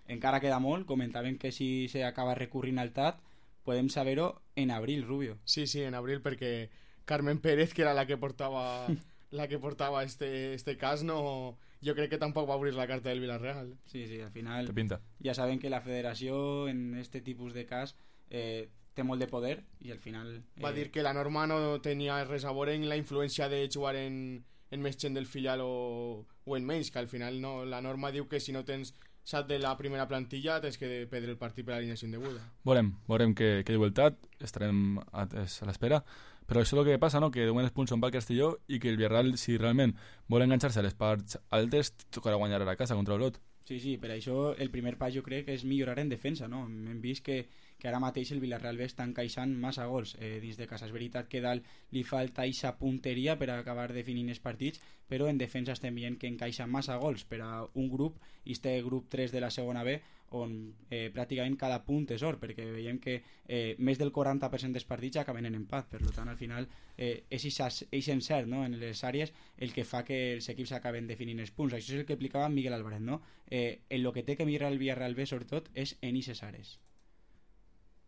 encara queda molt. Comentaven que si s'acaba recurrint al T A T podem saber-ho en abril, Rubio. Sí, sí, en abril, perquè Carmen Pérez, que era la que portava la que portava este, este cas, no, jo crec que tampoc va obrir la carta del Villarreal. Sí, sí, al final Te pinta. Ja saben que la federació en este tipus de cas eh, té molt de poder i al final... Eh... Va dir que la norma no tenia res a veure en la influència de jugar en, en més gent del filial o, o en menys, que al final no, la norma diu que si no tens sat de la primera plantilla tens que perdre el partit per alineació indeguda. Veurem, veurem què, què diu el T A T, estarem a, a l'espera, però això és el que passa, no? Que de moment els punts són pel Castelló i que el Villarreal, si realment vol enganxar-se a les parts altes, tocarà guanyar a la casa contra l'Olot. Sí, sí, per això el primer pas jo crec que és millorar en defensa, no? Hem vist que, que ara mateix el Villarreal B està encaixant massa gols eh, dins de casa. És veritat que dalt li falta eixa punteria per acabar definint els partits, però en defensa estem veient que encaixa massa gols per a un grup, i este grup tres de la segona B, on eh, pràcticament cada punt és or, perquè veiem que eh, més del quaranta per cent dels partits acaben en empat. Per tant, al final eh, és aquest encert, no? En les àrees el que fa que els equips acaben definint els punts. Això és el que explicava Miguel Álvarez, no? Eh, en lo que té que mirar el Villarreal B sobretot és en esas áreas.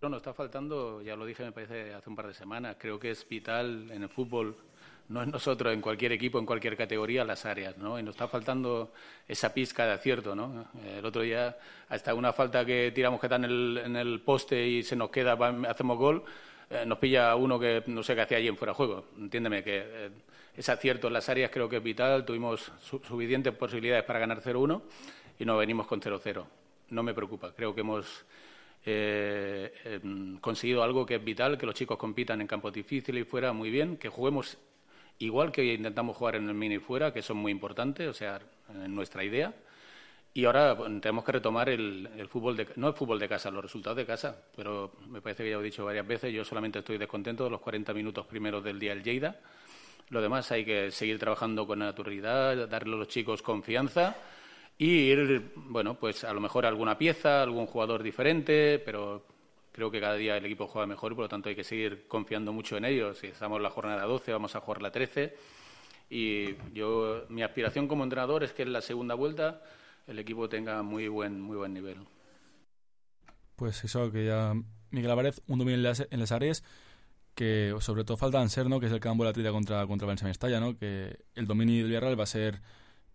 No, nos está faltando, ya lo dije me parece hace un par de semanas, creo que es vital en el fútbol, no es nosotros, en cualquier equipo, en cualquier categoría, las áreas, ¿no? Y nos está faltando esa pizca de acierto, ¿no? El otro día, hasta una falta que tiramos que está en el, en el poste y se nos queda, hacemos gol, eh, nos pilla uno que no sé qué hacía allí en fuera de juego. Entiéndeme que eh, ese acierto en las áreas creo que es vital, tuvimos su suficientes posibilidades para ganar cero uno y nos venimos con cero cero. No me preocupa, creo que hemos... Eh, eh, conseguido algo que es vital, que los chicos compitan en campos difíciles y fuera muy bien, que juguemos igual que intentamos jugar en el mini fuera, que eso es muy importante, o sea, en nuestra idea. Y ahora bueno, tenemos que retomar el, el fútbol, de, no el fútbol de casa, los resultados de casa, pero me parece que ya lo he dicho varias veces, yo solamente estoy descontento de los cuarenta minutos primeros del día del Lleida. Lo demás hay que seguir trabajando con naturalidad, darle a los chicos confianza y ir, bueno, pues a lo mejor alguna pieza, algún jugador diferente, pero creo que cada día el equipo juega mejor y por lo tanto hay que seguir confiando mucho en ellos. Si estamos en la jornada doce, vamos a jugar la trece y yo, mi aspiración como entrenador es que en la segunda vuelta el equipo tenga muy buen, muy buen nivel. Pues eso, que ya Miguel Álvarez, un dominio en las, en las áreas que sobre todo falta en ser, ¿no? Que es el campo de la trilla contra, contra el Valencia Mestalla, ¿no? Que el dominio del Villarreal va a ser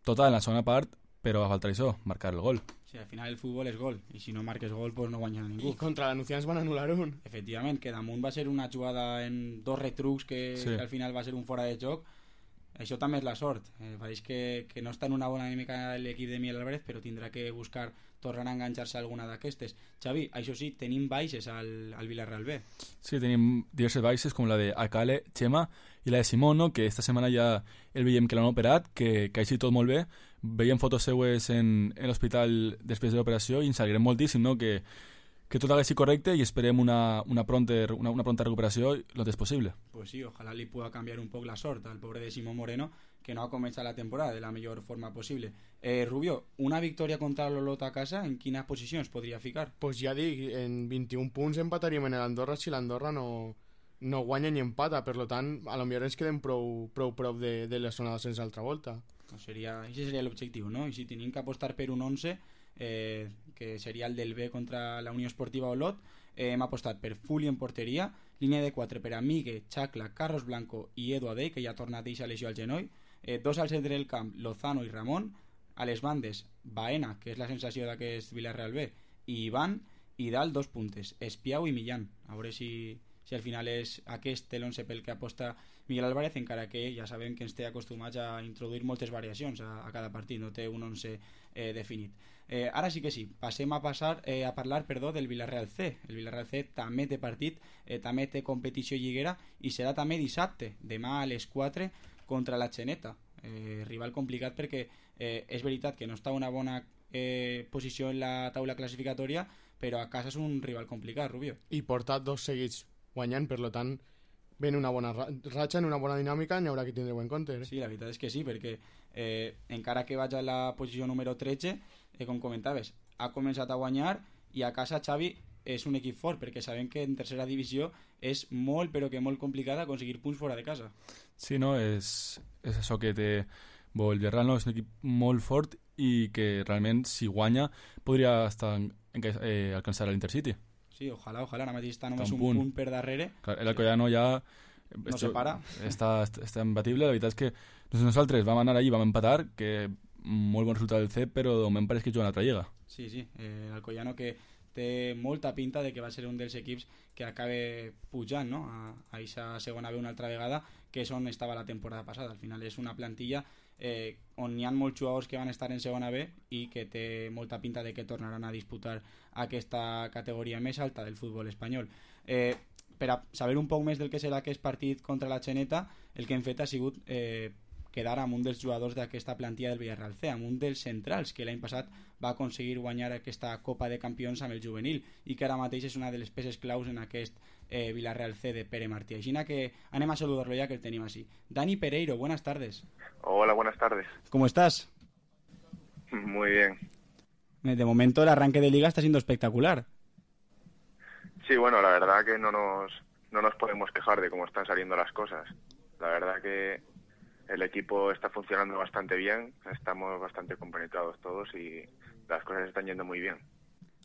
total en la segona part, però va faltar això, marcar el gol. Sí, al final el futbol és gol, i si no marques gol pues no guanya ningú. I contra l'Anunciants van anul·lar un. Efectivament, que damunt va ser una jugada en dos retrucs que, sí. que al final va ser un fora de joc. Això també és la sort. Eh, pareix que, que no està en una bona dinàmica l'equip de Miguel Álvarez, però tindrà que buscar tornar a enganxar-se a alguna d'aquestes. Xavi, això sí, tenim baixes al, al Villarreal B. Sí, tenim diverses baixes, com la de Akale, Chema i la de Simón, no? Que esta setmana ja el veiem que l'han operat, que, que així tot molt bé. Veiem fotos seues en, en l'hospital després de l'operació i ens alegrem moltíssim, no? Que, que tot hagués correcte i esperem una, una, pronta, una, una pronta recuperació lo antes possible. Pues sí, ojalá li pueda cambiar un poc la sort al pobre de Simón Moreno, que no ha començat la temporada de la millor forma possible. Eh, Rubio, una victòria contra l'Olot a casa, en quines posicions podria ficar? Pues ja dic, en vint-i-un punts empataríem en l'Andorra si l'Andorra no, no guanya ni empata, per tant, a lo millor ens quedem prou, prou prop de, de la zona sense altra volta. No seria, ese seria l'objectiu, no? I si tenim que apostar per un onze, eh, que seria el del B contra la Unió Esportiva Olot, eh, hem apostat per Fuli en porteria, línia de quatre per a Migue, Chacla, Carlos Blanco i Edu Adey, que ja ha tornat a deixar lesió al genoll, eh, dos al centre del camp, Lozano i Ramon, a les bandes, Baena, que és la sensació d'aquest Villarreal B, i Ivan, i dalt dos puntes, Espiau i Millán. A veure si, si al final és aquest l'onze pel que aposta Miguel Álvarez, encara que ja sabem que ens té acostumats a introduir moltes variacions a, a cada partit, no té un onze eh, definit. Eh, ara sí que sí, passem a passar eh, a parlar perdó, del Villarreal C. El Villarreal C també té partit, eh, també té competició lliguera i serà també dissabte, demà a les quatre contra la Xeneta. Eh, rival complicat perquè eh, és veritat que no està en una bona eh, posició en la taula classificatòria, però a casa és un rival complicat, Rubio. I porta dos seguits guanyant, per tant ven una bona ratxa, en una bona dinàmica, n'hi haurà que tindre-ho en compte. Eh? Sí, la veritat és que sí, perquè eh, encara que vaig a la posició número tretze, eh, com comentaves, ha començat a guanyar i a casa, Xavi, és un equip fort, perquè sabem que en tercera divisió és molt, però que molt complicat aconseguir punts fora de casa. Sí, no, és, és això que té bo, el Villarreal, no? És un equip molt fort i que realment, si guanya, podria estar en, en, eh, alcançar l'Intercity. Sí, ojalà, ojalà, ara mateix està només un, un punt. punt per darrere. Clar, l'Alcoyano ja... No se para. Està, està imbatible, la veritat és que nosaltres vam anar allí, vam empatar, que molt bon resultat del C, però de moment pareix que juga una altra lliga. Sí, sí, eh, l'Alcoyano que té molta pinta de que va ser un dels equips que acabe pujant, no?, a aquesta segona B una altra vegada, que és on estava la temporada passada. Al final és una plantilla eh, on hi ha molts jugadors que van estar en segona B i que té molta pinta de que tornaran a disputar aquesta categoria més alta del futbol espanyol. Eh, per a saber un poc més del que serà aquest partit contra la Xeneta, el que hem fet ha sigut eh, quedar amb un dels jugadors d'aquesta plantilla del Villarreal C, amb un dels centrals que l'any passat va aconseguir guanyar aquesta Copa de Campions amb el juvenil i que ara mateix és una de les peces claus en aquest eh, Villarreal C de Pere Martí. Així que anem a saludarlo ya que el tenim así. Dani Pereiro, buenas tardes. Hola, buenas tardes. ¿Cómo estás? Muy bien. De momento el arranque de liga está siendo espectacular. Sí, bueno, la verdad que no nos, no nos podemos quejar de cómo están saliendo las cosas. La verdad que el equipo está funcionando bastante bien, estamos bastante compenetrados todos y las cosas están yendo muy bien.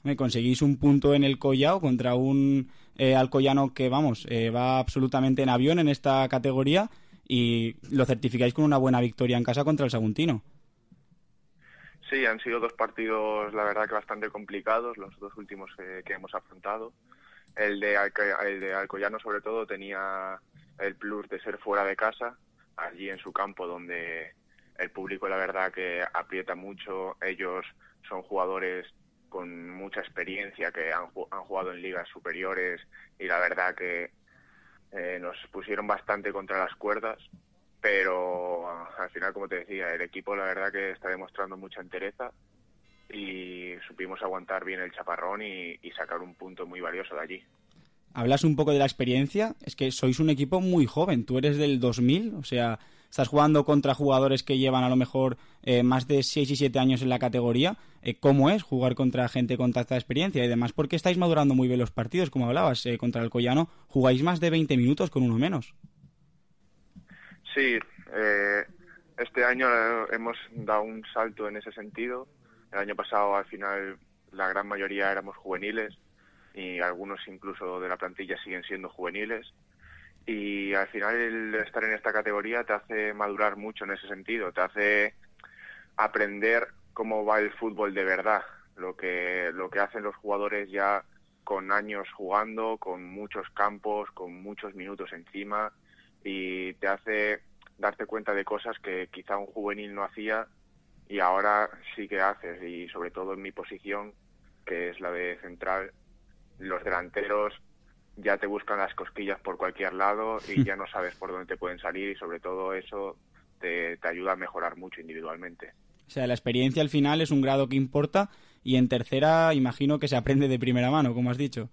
Me conseguís un punto en el Collao contra un eh, Alcoyano que, vamos, eh, va absolutamente en avión en esta categoría y lo certificáis con una buena victoria en casa contra el Saguntino. Sí, han sido dos partidos, la verdad que bastante complicados, los dos últimos eh, que hemos afrontado. El de, Alca- el de Alcoyano, sobre todo, tenía el plus de ser fuera de casa, allí en su campo, donde el público, la verdad, que aprieta mucho. Ellos son jugadores con mucha experiencia, que han, han jugado en ligas superiores y la verdad que eh, nos pusieron bastante contra las cuerdas, pero al final, como te decía, el equipo, la verdad, que está demostrando mucha entereza y supimos aguantar bien el chaparrón y, y sacar un punto muy valioso de allí. Hablas un poco de la experiencia, es que sois un equipo muy joven, tú eres del dos mil, o sea, estás jugando contra jugadores que llevan a lo mejor eh, más de seis y siete años en la categoría. Eh, ¿Cómo es jugar contra gente con tanta experiencia? Y además, porque estáis madurando muy bien los partidos, como hablabas, eh, contra el Alcoyano, jugáis más de veinte minutos con uno menos. Sí, eh, este año hemos dado un salto en ese sentido. El año pasado, al final, la gran mayoría éramos juveniles y algunos incluso de la plantilla siguen siendo juveniles. Y al final el estar en esta categoría te hace madurar mucho en ese sentido, te hace aprender cómo va el fútbol de verdad, lo que, lo que hacen los jugadores ya con años jugando, con muchos campos, con muchos minutos encima, y te hace darte cuenta de cosas que quizá un juvenil no hacía y ahora sí que haces, y sobre todo en mi posición, que es la de central, los delanteros ya te buscan las cosquillas por cualquier lado y ya no sabes por dónde te pueden salir, y sobre todo eso te, te ayuda a mejorar mucho individualmente. O sea, la experiencia al final es un grado que importa y en tercera imagino que se aprende de primera mano, como has dicho.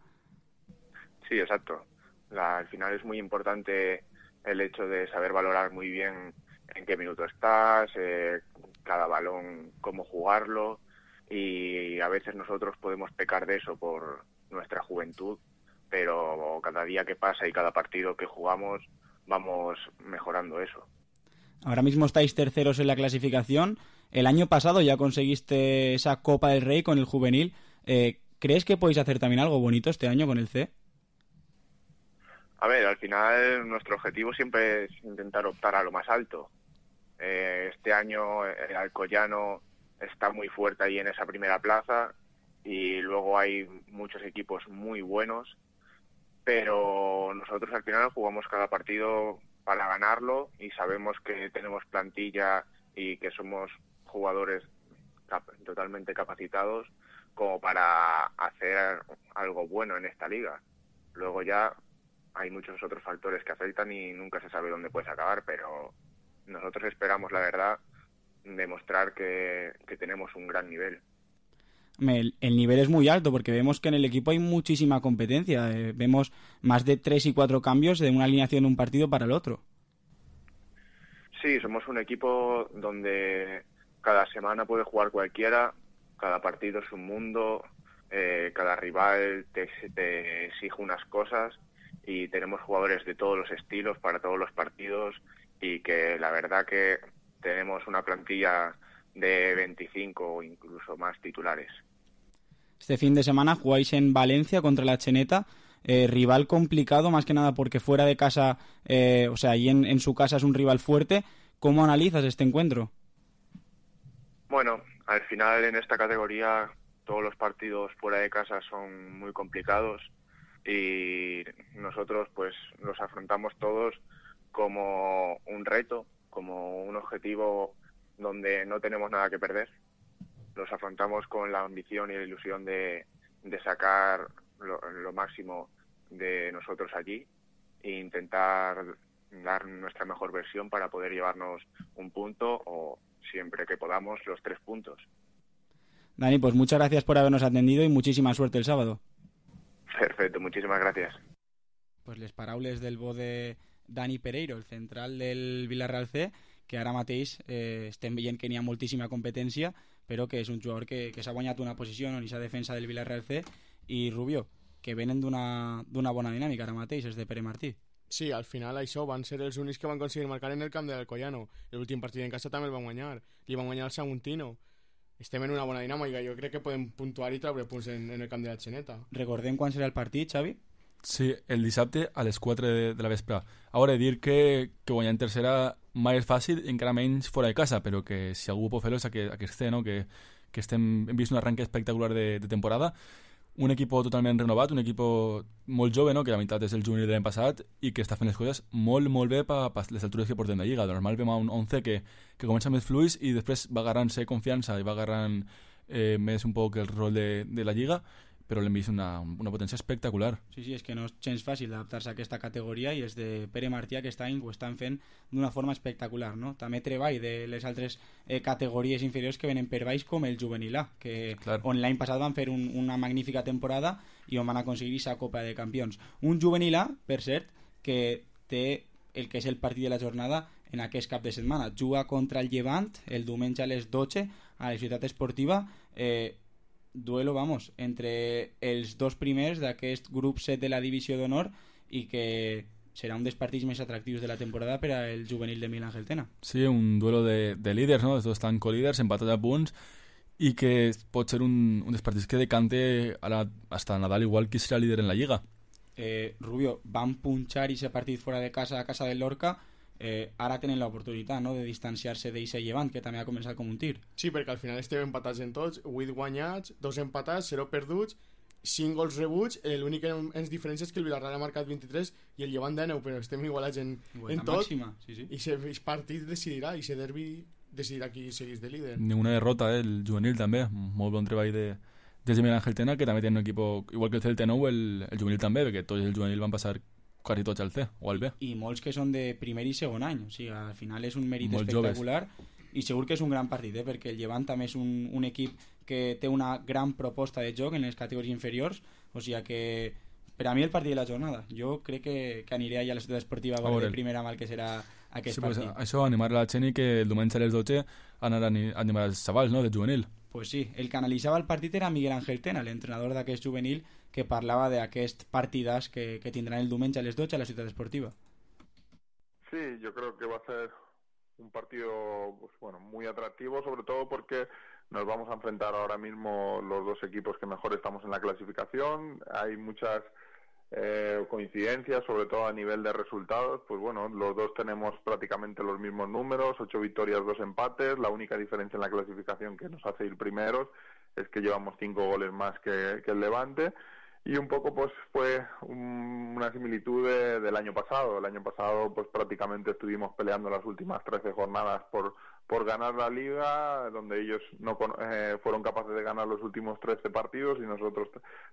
Sí, exacto. La, al final es muy importante el hecho de saber valorar muy bien en qué minuto estás, eh, cada balón, cómo jugarlo, y a veces nosotros podemos pecar de eso por nuestra juventud, pero cada día que pasa y cada partido que jugamos vamos mejorando eso. Ahora mismo estáis terceros en la clasificación. El año pasado ya conseguiste esa Copa del Rey con el juvenil. Eh, ¿Crees que podéis hacer también algo bonito este año con el C? A ver, al final nuestro objetivo siempre es intentar optar a lo más alto. Eh, este año el Alcoyano está muy fuerte ahí en esa primera plaza y luego hay muchos equipos muy buenos, pero nosotros al final jugamos cada partido para ganarlo y sabemos que tenemos plantilla y que somos jugadores cap- totalmente capacitados como para hacer algo bueno en esta liga. Luego ya hay muchos otros factores que afectan y nunca se sabe dónde puedes acabar, pero nosotros esperamos, la verdad, demostrar que, que tenemos un gran nivel. El, el nivel es muy alto porque vemos que en el equipo hay muchísima competencia. Eh, vemos más de tres y cuatro cambios de una alineación de un partido para el otro. Sí, somos un equipo donde cada semana puede jugar cualquiera, cada partido es un mundo, eh, cada rival te, te exige unas cosas y tenemos jugadores de todos los estilos para todos los partidos y que la verdad que tenemos una plantilla de veinticinco o incluso más titulares. Este fin de semana jugáis en Valencia contra la Cheneta, eh, rival complicado más que nada porque fuera de casa, eh, o sea, ahí en, en su casa es un rival fuerte. ¿Cómo analizas este encuentro? Bueno, al final en esta categoría todos los partidos fuera de casa son muy complicados y nosotros pues los afrontamos todos como un reto, como un objetivo donde no tenemos nada que perder. Los afrontamos con la ambición y la ilusión de, de sacar lo, lo máximo de nosotros allí e intentar dar nuestra mejor versión para poder llevarnos un punto o siempre que podamos los tres puntos. Dani, pues muchas gracias por habernos atendido y muchísima suerte el sábado. Perfecto, muchísimas gracias. Pues les paraules del bo de Dani Pereiro, el central del Villarreal C, que ara mateix eh, estem veient que n'hi ha moltíssima competència, però que és un jugador que, que s'ha guanyat una posició en aquesta defensa del Villarreal C, i Rubio, que venen d'una d'una bona dinàmica ara mateix, és de Pere Martí. Sí, al final això van ser els únics que van aconseguir marcar en el camp de l'Alcoyano. L'últim partit en casa també el van guanyar. Li van guanyar el Saguntino. Estem en una bona dinàmica. Jo crec que podem puntuar i treure punts en, en el camp de la Xeneta. Recordem quan serà el partit, Xavi? Sí, el dissabte a les quatre de, de la vespre. Ara, dir que, que guanyar en tercera mai és fàcil, encara menys fora de casa, però que si algú pot fer-ho és aquest, aquest C, no? que, que estem, hem vist un arranque espectacular de, de temporada, un equip totalment renovat, un equip molt jove, no? que la meitat és el juvenil de l'any passat i que està fent les coses molt, molt bé per pa les altures que portem de Lliga. De normal vam a un onze que, que comença més fluix i després va agarrant-se confiança i va agarrant eh, més un poc el rol de, de la Lliga, però l'hem vist una, una potència espectacular. Sí, sí, és que no és gens fàcil adaptar-se a aquesta categoria i els de Pere Martí aquest any ho estan fent d'una forma espectacular, no? També treball de les altres eh, categories inferiors que venen per baix, com el juvenil A, que Clar. on l'any passat van fer un, una magnífica temporada i on van aconseguir aquesta Copa de Campions. Un juvenil A, per cert, que té el que és el partit de la jornada en aquest cap de setmana. Juga contra el Llevant el diumenge a les dotze a la Ciutat Esportiva, eh, duelo, vamos, entre els dos primers d'aquest grup set de la divisió d'honor i que serà un dels partits més atractius de la temporada per al juvenil de Miguel Ángel Tena. Sí, un duelo de, de líders, no? Els dos estan co-líders, empatats a punts i que pot ser un, un dels partits que decante ara hasta Nadal igual qui serà líder en la Lliga. Eh, Rubio, van punxar aquest partit fora de casa a casa del Lorca. Eh, ara tenen l'oportunitat, no?, de distanciar-se d'eixe Llevant, que també ha començat com un tir. Sí, perquè al final estem empatats en tots, vuit guanyats, dos empatats, zero perduts, cinc gols rebuts, l'únic que ens diferència és que el Villarreal ha marcat vint-i-tres i el Llevant dinou, però estem igualats en, en tot, màxima, sí, sí. i aquest partit decidirà, i aquest derbi decidirà qui segueix de líder. Ninguna derrota, eh? El juvenil també, molt bon treball de, des de Miguel Ángel Tena, que també té un equip, igual que el Celta nou, el, el juvenil també, perquè tots els juvenils van passar quasi tots al C o al B. I, i molts que són de primer i segon any, o sigui, al final és un mèrit molt espectacular joves. I segur que és un gran partit, eh? perquè el Llevant també és un, un equip que té una gran proposta de joc en les categories inferiors, o sigui que per a mi el partit de la jornada, jo crec que, que aniré allà a la ciutat esportiva a veure de primera mà el que serà aquest sí, partit. Pues, això, animar a la gent i que el diumenge a les dotze anar a animar els xavals, no?, de juvenil. Pues sí, el que analitzava el partit era Miguel Ángel Tena, l'entrenador d'aquest juvenil, que parlava d'aquest partidàs que, que tindran el diumenge a les dotze a la ciutat esportiva. Sí, yo creo que va a ser un partido pues, bueno, muy atractivo, sobre todo porque nos vamos a enfrentar ahora mismo los dos equipos que mejor estamos en la clasificación. Hay muchas eh, coincidencias, sobre todo a nivel de resultados. Pues bueno, los dos tenemos prácticamente los mismos números, ocho victorias, dos empates. La única diferencia en la clasificación que nos hace ir primeros es que llevamos cinco goles más que, que el Levante. Y un poco pues fue un, una similitud de, del año pasado. El año pasado pues prácticamente estuvimos peleando las últimas trece jornadas por, por ganar la Liga, donde ellos no eh, fueron capaces de ganar los últimos trece partidos y nosotros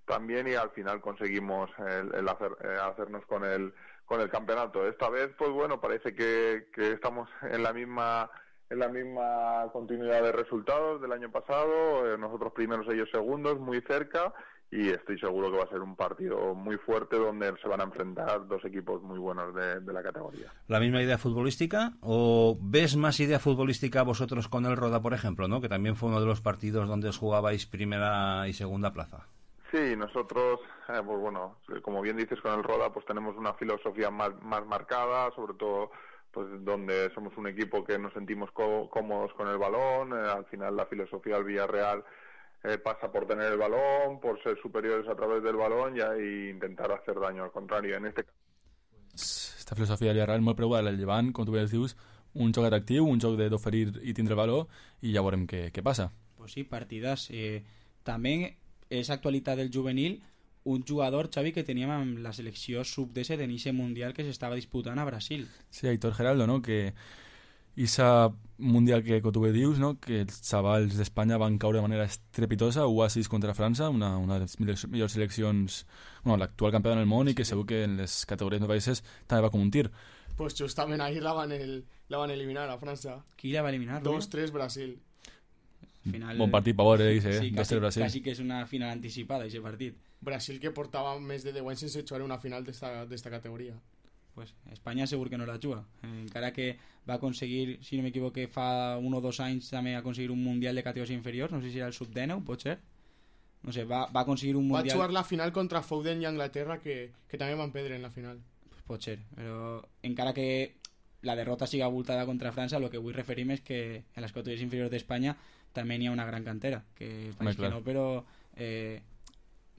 también, y al final conseguimos el, el hacer, eh, hacernos con el, con el campeonato. Esta vez pues bueno, parece que, que estamos en la misma... en la misma continuidad de resultados del año pasado, eh, nosotros primeros, ellos segundos, muy cerca, y estoy seguro que va a ser un partido muy fuerte donde se van a enfrentar dos equipos muy buenos de, de la categoría. ¿La misma idea futbolística o ves más idea futbolística vosotros con el Roda, por ejemplo, ¿no?, que también fue uno de los partidos donde os jugabais primera y segunda plaza? Sí, nosotros, eh, pues bueno, como bien dices con el Roda, pues tenemos una filosofía más, más marcada, sobre todo pues donde somos un equipo que nos sentimos có- cómodos con el balón. Eh, al final la filosofía del Villarreal eh, pasa por tener el balón, por ser superiores a través del balón y ahí intentar hacer daño. Al contrario, en este Esta filosofia del Villarreal molt preuada al Llevant, com tu bé dius, un joc atractiu, un joc d'oferir i tindre el valor, i ja veurem què, què passa. Pues sí, partidas. Eh, també és actualitat del juvenil un jugador, Xavi, que teníem amb la selecció sub disset en eixe mundial que s'estava disputant a Brasil. Sí, Aitor Geraldo, no?, que esa mundial que, que tu bé dius, no?, que els xavals d'Espanya van caure de manera estrepitosa, u a sis contra França, una, una de les millors, millors seleccions, bueno, l'actual campió del món, i que segur que en les categories de països també va com un tir. Pues justament ahir la van, el, la van eliminar a França. Qui la va eliminar? dos tres Brasil. Final... Bon partit per veure, eh? Sí, dos tres Brasil. quasi que és una final anticipada, aquest partit. Brasil que portava més de deu anys sense jugar una final d'esta categoria. Pues Espanya segur que no la juga. Eh, encara que va aconseguir, si no m'equivoque, fa un o dos anys també aconseguir un mundial de categories inferiors, no sé si era el sub dinou, pot ser? No sé, va, va aconseguir un mundial... Va jugar la final contra Foden i Anglaterra, que, que també van perdre en la final. Pues pot ser, però encara que la derrota siga abultada contra França, el que vull referir és que en les categories inferiors d'Espanya també n'hi ha una gran cantera, que pareix que no, però eh,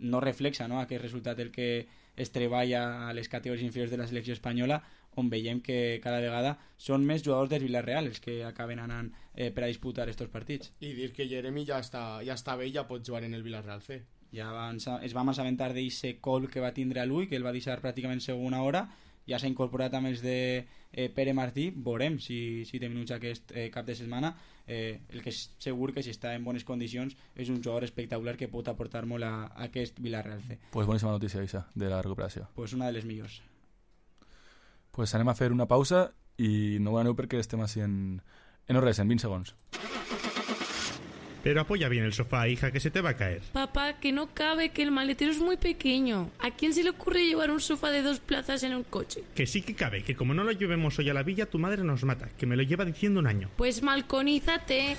no reflexa, no, aquest resultat el que es treballa a les categories inferiors de la selecció espanyola, on veiem que cada vegada són més jugadors del Villarreal els que acaben anant eh, per a disputar aquests partits. I dir que Jeremy ja està, ja està bé i ja pot jugar en el Villarreal C. Ja van, es vam assabentar d'eixe col que va tindre a l'ull, que el va deixar pràcticament segona hora, ja s'ha incorporat amb els de eh, Pere Martí, veurem si, si té minuts aquest eh, cap de setmana. Eh, el que és segur que si està en bones condicions és un jugador espectacular que pot aportar molt a, a aquest Villarreal C. Pues boníssima notícia, Isa, de la recuperació. Pues una de les millors. Pues anem a fer una pausa i no ho aneu perquè estem així en, en res, en vint segons. Pero apoya bien el sofá, hija, que se te va a caer. Papá, que no cabe, que el maletero es muy pequeño. ¿A quién se le ocurre llevar un sofá de dos plazas en un coche? Que sí que cabe, que como no lo llevemos hoy a la villa, tu madre nos mata, que me lo lleva diciendo un año. Pues malconízate.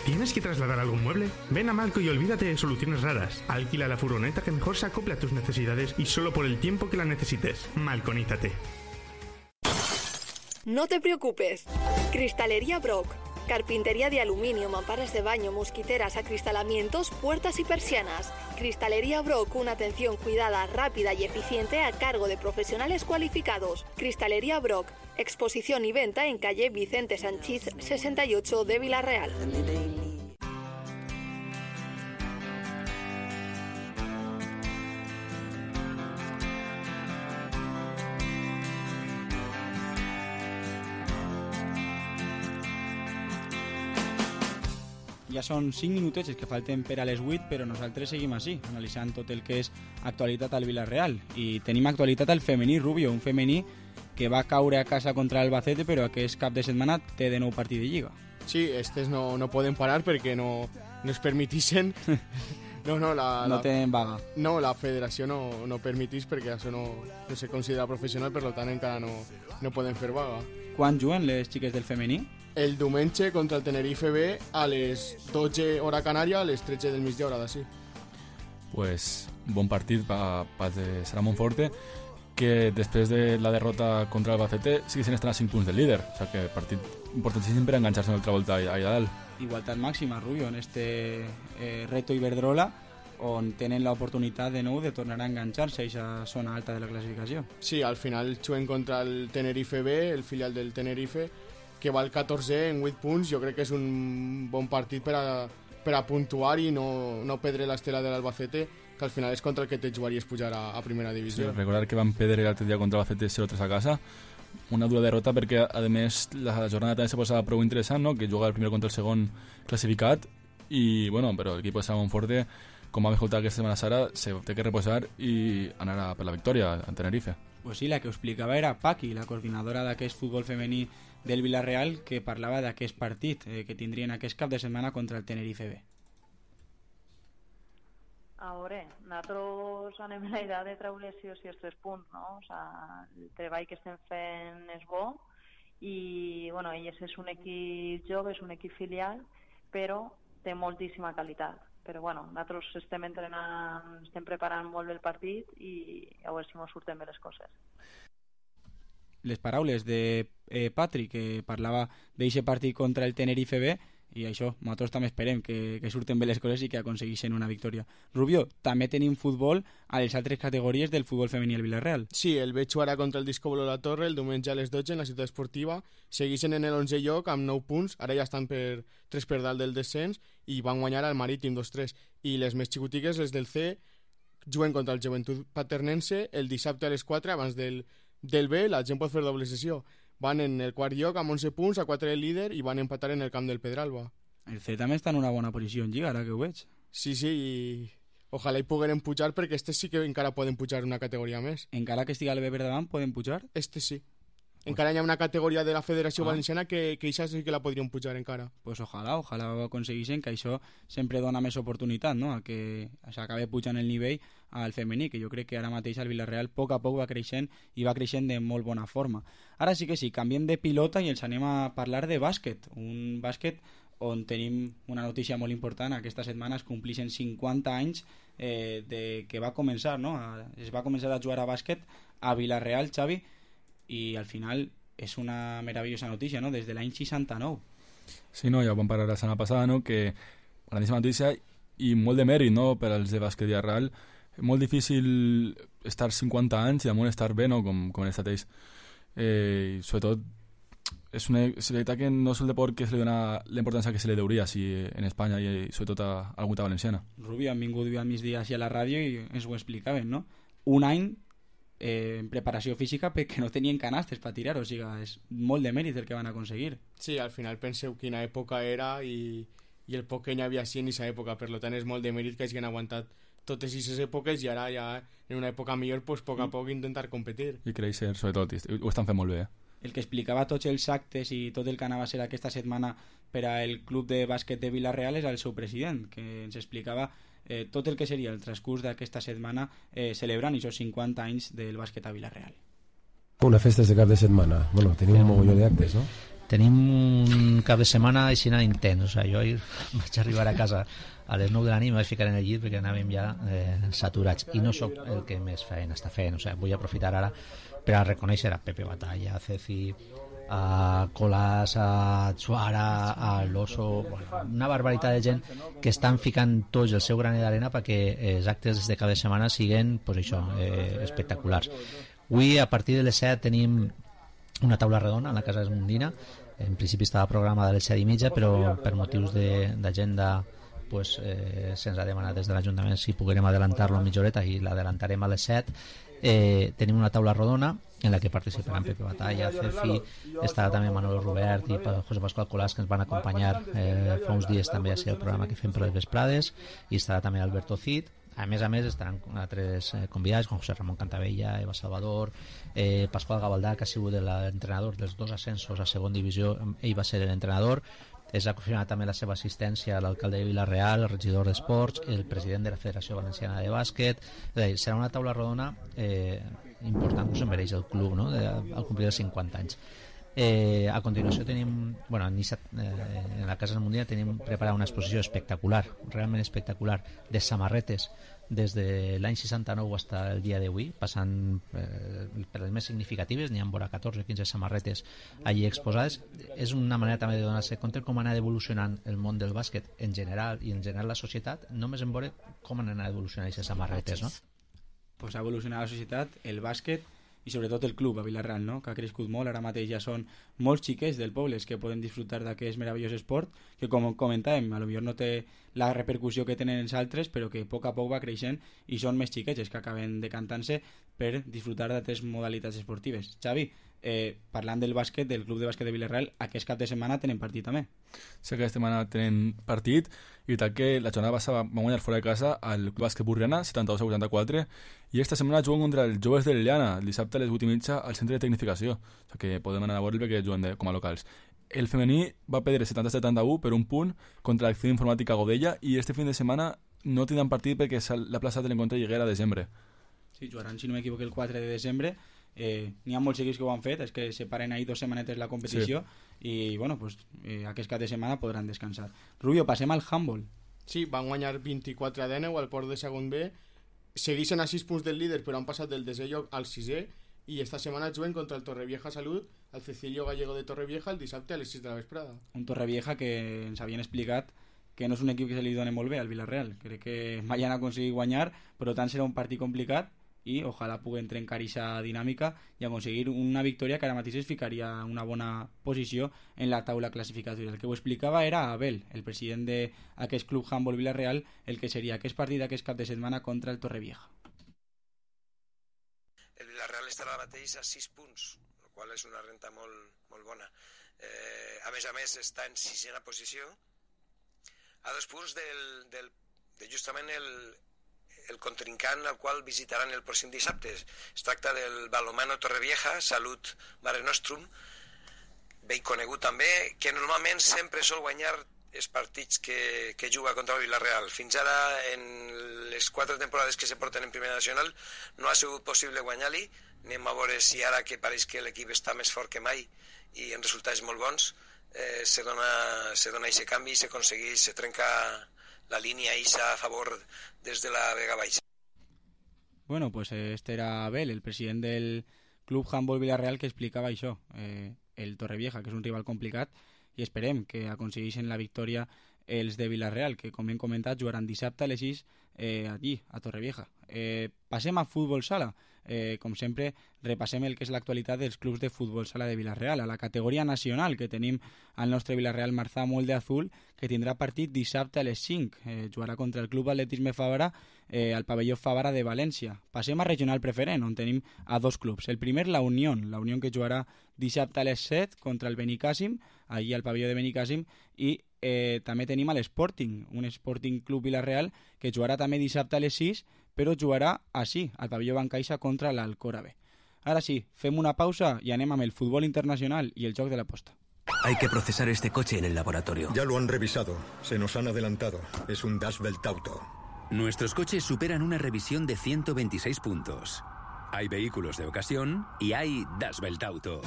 ¿Tienes que trasladar algún mueble? Ven a Malco y olvídate de soluciones raras. Alquila la furgoneta que mejor se acople a tus necesidades y solo por el tiempo que la necesites. Malconízate. No te preocupes. Cristalería Brock. Carpintería de aluminio, mamparas de baño, mosquiteras, acristalamientos, puertas y persianas. Cristalería Brock, una atención cuidada, rápida y eficiente a cargo de profesionales cualificados. Cristalería Brock, exposición y venta en calle Vicente Sanchís sesenta y ocho de Villarreal. Ja són cinc minutets que falten per a les vuit, però nosaltres seguim així, analitzant tot el que és actualitat al Villarreal. I tenim actualitat al femení, Rubio, un femení que va caure a casa contra Albacete, però aquest cap de setmana té de nou partit de Lliga. Sí, estes no, no poden parar perquè no, no es permetixen... No, no, la, no la, tenen vaga. No, la federació no, no permetís perquè això no, no se considera professional, per tant encara no, no poden fer vaga. Quan juguen les xiques del femení? El diumenge contra el Tenerife B a les dotze hora Canària, a les tretze del migdia hora d'ací. Pues bon partit pa, pa de Sara Monforte, que després de la derrota contra el Albacete sí que se n'estan a cinc punts del líder, o sigui que partit importantíssim per enganxar-se en l'altra volta allà dalt. Igualtat màxima, Rubio, en este eh, reto Iberdrola, on tenen l'oportunitat de nou de tornar a enganxar-se a aquesta zona alta de la classificació. Sí, al final juguen contra el Tenerife B, el filial del Tenerife, que va al catorzè en vuit punts. Jo crec que és un bon partit per a, per a puntuar i no, no perdre l'estela de l'Albacete, que al final és contra el que te jugaries pujar a, a primera divisió. Sí, recordar que van perdre l'altre dia contra l'Albacete zero tres a casa, una dura derrota perquè a més la jornada també se posava prou interessant, no? Que juga el primer contra el segon classificat i bueno, però l'equip de Sara Monforte, com vam escoltar aquesta setmana Sara, se té que reposar i anar a per la victòria a Tenerife. Pues sí, la que ho explicava era Paqui, la coordinadora d'aquest futbol femení del Villarreal, que parlava d'aquest partit eh, que tindrien aquest cap de setmana contra el Tenerife B. A veure, nosaltres anem a la idea de treure sí o sí els tres punts, no? O sea, el treball que estem fent és bo i, bueno, elles és un equip jove, és un equip filial, però té moltíssima qualitat. però bueno, nosaltres estem entrenant, estem preparant molt bé el partit i a veure si ens surten bé les coses. Les paraules de eh, Patrick, que parlava d'aquest partit contra el Tenerife B, i això, nosaltres també esperem que, que surten bé les coses i que aconsegueixen una victòria. Rubio, també tenim futbol a les altres categories del futbol femení al Villarreal. Sí, el veig jugar contra el Disco Bolo La Torre el diumenge a les dotze en la ciutat esportiva. Segueixen en l'onzè lloc amb nou punts, ara ja estan per tres per dalt del descens i van guanyar al Marítim dos tres. I les més xicotigues, les del C, juguen contra el Joventut Paternense el dissabte a les quatre abans del, del B. La gent pot fer doble sessió. Van en el quart lloc amb onze punts, a quatre del líder, i van empatar en el camp del Pedralba. El C també està en una bona posició en Lliga, ara que ho veig. Sí, sí, i ojalà hi pogueren pujar, perquè este sí que encara poden pujar una categoria més. Encara que estigui al B per davant, poden pujar? Este sí. Encara hi ha una categoria de la Federació ah. Valenciana que, que això sí que la podrien pujar encara. Pues ojalà, ojalà aconsegueixen, que això sempre dona més oportunitat, no?, a que s'acabi pujant el nivell al femení, que jo crec que ara mateix el Villarreal a poc a poc va creixent i va creixent de molt bona forma. Ara sí que sí, canviem de pilota i ens anem a parlar de bàsquet, un bàsquet on tenim una notícia molt important. Aquesta setmana es complixen cinquanta anys eh, de que va començar, no? Es va començar a jugar a bàsquet a Villarreal, Xavi, i al final és una meravellosa notícia, no?, des de l'any seixanta-nou. Sí, no, ja ho vam parlar la setmana passada, no?, que grandíssima notícia i molt de mèrit, no?, per als de bàsquet Villarreal. Molt difícil estar cinquanta anys i damunt estar bé, no?, com, com en estat ells. Eh, sobretot és una és veritat que no és el deport que se li dona la importància que se li deuria si en Espanya i sobretot a alguna valenciana. Rubi, han vingut al migdia a la ràdio i ens ho explicaven, no? Un any eh, en preparació física perquè no tenien canastes per tirar, o sigui, és molt de mèrit el que van aconseguir. Sí, al final penseu quina època era i, i el poc que n'hi havia així en aquesta època, per tant és molt de mèrit que hagin aguantat totes aquestes èpoques i ara ja en una època millor, pues, poc a poc intentar competir. I créixer, sobretot, ho estan fent molt bé, eh? El que explicava tots els actes i tot el que anava a ser aquesta setmana per al club de bàsquet de Villarreal és el seu president, que ens explicava eh, tot el que seria el transcurs d'aquesta setmana eh, celebrant aquests cinquanta anys del bàsquet a Villarreal. Una festa de cap de setmana. Bueno, tenim un mogolló d'actes, no? Tenim un cap de setmana així intens. O sigui, jo ahir vaig arribar a casa a les nou de la nit i em vaig ficar en el llit perquè anàvem ja eh, saturats. I no sóc el que més feina està fent. O sigui, vull aprofitar ara per a reconèixer a Pepe Batalla, a Ceci, a Colás, a Suara, a Loso, bueno, una barbaritat de gent que estan ficant tots el seu granet d'arena perquè els actes de cada setmana siguin, pues això, eh, espectaculars. Avui, a partir de les set, tenim una taula redona a la Casa Esmundina. En principi estava programada a les set i mitja, però per motius d'agenda pues, eh, se'ns ha demanat des de l'Ajuntament si poguérem adelantar-lo mitja horeta i l'adelantarem a les set. Eh, tenim una taula rodona en la que participaran Pepe Batalla, Cefi, estarà també Manuel Robert i José Pascual Colás, que ens van acompanyar eh, fa uns dies també a ser el programa que fem per les vesprades, i estarà també Alberto Cid. A més a més estaran altres eh, convidats com José Ramón Cantavella, Eva Salvador, eh, Pascual Gavaldà, que ha sigut l'entrenador dels dos ascensos a segon divisió, ell va ser l'entrenador. Es ha confirmat també la seva assistència a l'alcalde de Villarreal, el regidor d'Esports, el president de la Federació Valenciana de Bàsquet. És a dir, serà una taula rodona eh, important que us mereix el club, no?, de, al complir els cinquanta anys. Eh, a continuació tenim, bueno, en, Issa, eh, en la Casa Esmundina tenim preparada una exposició espectacular, realment espectacular, de samarretes des de l'any seixanta-nou fins al dia d'avui, passant eh, per les més significatives. N'hi ha vora catorze o quinze samarretes allí exposades. És una manera també de donar-se compte com ha anat evolucionant el món del bàsquet en general i en general la societat, només en veure com han anat evolucionant aquestes samarretes, no? Pues ha evolucionat la societat, el bàsquet i sobretot el club a Villarreal, no?, que ha crescut molt. Ara mateix ja són molts xiquets del poble que poden disfrutar d'aquest meravellós esport que, com comentàvem, a lo millor no té la repercussió que tenen els altres, però que a poc a poc va creixent i són més xiquets que acaben decantant-se per disfrutar d'altres modalitats esportives. Xavi, eh, parlant del bàsquet, del club de bàsquet de Villarreal, aquest cap de setmana tenen partit també. Sí, aquesta setmana tenen partit i tal que la jornada passada va guanyar fora de casa al Club Bàsquet Burriana, setanta-dos a vuitanta-quatre, i aquesta setmana juguen contra els joves de l'Eliana, el dissabte a les vuit i mitja al centre de tecnificació, o sigui que podem anar a veure perquè juguen de, com a locals. El femení va perdre setanta a setanta-u per un punt contra l'Acció Informàtica Godella i este fin de setmana no tindran partit perquè l'ha plaçat l'encontre Lliguera a desembre. Sí, jugaran, si no m'equivoco, el quatre de desembre. Eh, n'hi ha molts equips que ho han fet, és que separen ahir dues setmanetes la competició, sí. I bueno, pues, eh, aquest cap de setmana podran descansar. Rubio, passem al handball. Sí, van guanyar vint-i-quatre a deu al Port de segon B, segueixen a sis punts del líder però han passat del desè lloc al sisè i esta setmana juguen contra el Torrevieja Salut al Cecilio Gallego de Torrevieja el dissabte a les sis de la vesprada. Un Torrevieja que ens havien explicat que no és un equip que se li doni molt bé al Villarreal. Crec que mai han aconseguit guanyar, però tant serà un partit complicat i ojalà puguen trencar aquesta dinàmica i aconseguir una victòria que ara mateix es ficaria en una bona posició en la taula classificatòria. El que ho explicava era Abel, el president d'aquest club Handball Villarreal, el que seria aquest partit d'aquest cap de setmana contra el Torrevieja. El Villarreal estarà ara mateix a sis punts, el qual és una renta molt, molt bona. Eh, a més a més està en sisena posició, a dos punts del, del, de justament el, el contrincant al qual visitaran el pròxim dissabte. Es tracta del Balomano Torrevieja, Salut Mare Nostrum, ben conegut també, que normalment sempre sol guanyar els partits que, que juga contra el Villarreal. Fins ara, en les quatre temporades que se porten en Primera Nacional, no ha sigut possible guanyar-li. Anem a veure si ara que pareix que l'equip està més fort que mai i en resultats molt bons, eh, se dona se dona aquest canvi i s'aconsegueix, se trenca la línia eixa a favor des de la Vega Baixa. Bueno, pues este era Abel, el president del Club Handball Villarreal, que explicava això, eh, el Torrevieja, que és un rival complicat, i esperem que aconsegueixin la victòria els de Villarreal, que com hem comentat jugaran dissabte a les sis eh, allí, a Torrevieja. Eh, passem a futbol sala. Eh, com sempre, repassem el que és l'actualitat dels clubs de futbol sala de Villarreal. A la categoria nacional, que tenim al nostre Villarreal Marzà molt de azul, que tindrà partit dissabte a les cinc. Eh, jugarà contra el Club Atletisme Favara eh, al pavelló Favara de València. Passem a regional preferent, on tenim a dos clubs. El primer, la Unión, la Unión que jugarà dissabte a les set contra el Benicàssim, allí al pavelló de Benicàssim, i eh, també tenim a l'Sporting, un Sporting Club Villarreal que jugarà també dissabte a les sis, però jugarà així, al pavelló Bancaixa contra l'Alcórave. Ara sí, fem una pausa i anem amb el futbol internacional i el joc de la posta. Hay que procesar este coche en el laboratorio. Ya lo han revisado. Se nos han adelantado. Es un Das Welt Auto. Nuestros coches superan una revisión de ciento veintiséis puntos. Hay vehículos de ocasión y hay Das Welt Auto.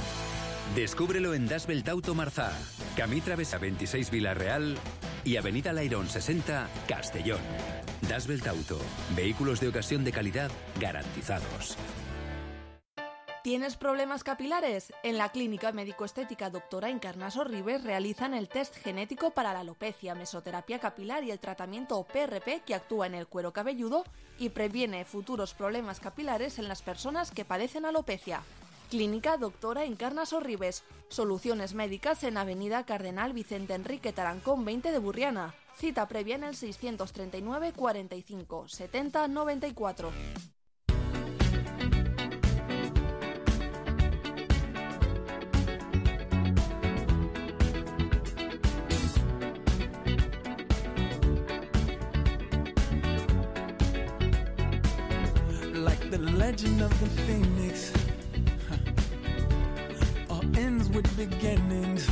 Descúbrelo en Das Welt Auto Marzà, Camí Travessa veintiséis Villarreal y Avenida Lairón sesenta Castellón. Das Welt Auto, vehículos de ocasión de calidad garantizados. ¿Tienes problemas capilares? En la Clínica Médico-Estética Doctora Encarnaso Ribes realizan el test genético para la alopecia, mesoterapia capilar y el tratamiento P R P que actúa en el cuero cabelludo y previene futuros problemas capilares en las personas que padecen alopecia. Clínica Doctora Encarnaso Ribes. Soluciones médicas en Avenida Cardenal Vicente Enrique Tarancón veinte de Burriana. Cita previa en el seiscientos treinta y nueve cuarenta y cinco setenta noventa y cuatro. Like the legend of the phoenix, all ends with beginnings.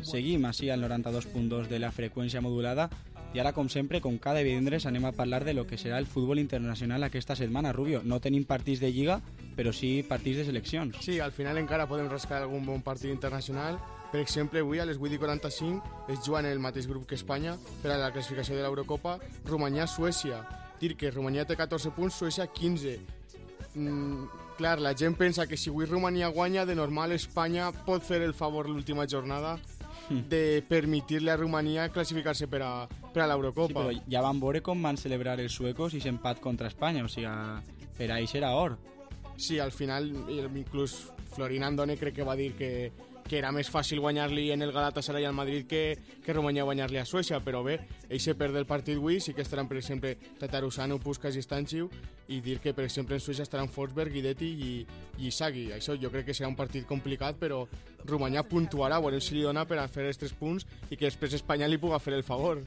Seguim així al noranta-dos punt dos de la freqüència modulada i ara, com sempre, com cada divendres, anem a parlar de lo que serà el futbol internacional aquesta setmana. Rubio, no tenim partits de Lliga, però sí partits de seleccions. Sí, al final encara podem rascar algun bon partit internacional. Per exemple, avui a les vuit i quaranta-cinc es juga en el mateix grup que Espanya per a la classificació de l'Eurocopa, Romania-Suècia. Dir que Romania té catorze punts, Suècia quinze. Mm, clar, la gent pensa que si avui Romania guanya, de normal Espanya pot fer el favor l'última jornada de permitir-li a Romania classificar-se per a, per a l'Eurocopa. Sí, però ja van veure com van celebrar els suecos i s'empat contra Espanya, o sigui, per a ells era or. Sí, al final, inclús Florin Andone crec que va dir que, que era més fàcil guanyar-li en el Galatasaray al Madrid que, que Romania guanyar-li a Suècia, però bé, ells se perd el partit avui, sí que estaran, per exemple, Tatarusanu, Puskas i Stanchiu, i dir que, per exemple, en Suècia estaran Forsberg, Guidetti i, i Isagui. Això jo crec que serà un partit complicat, però Romania puntuarà, veurem si li dona per a fer els tres punts i que després Espanya li puga fer el favor.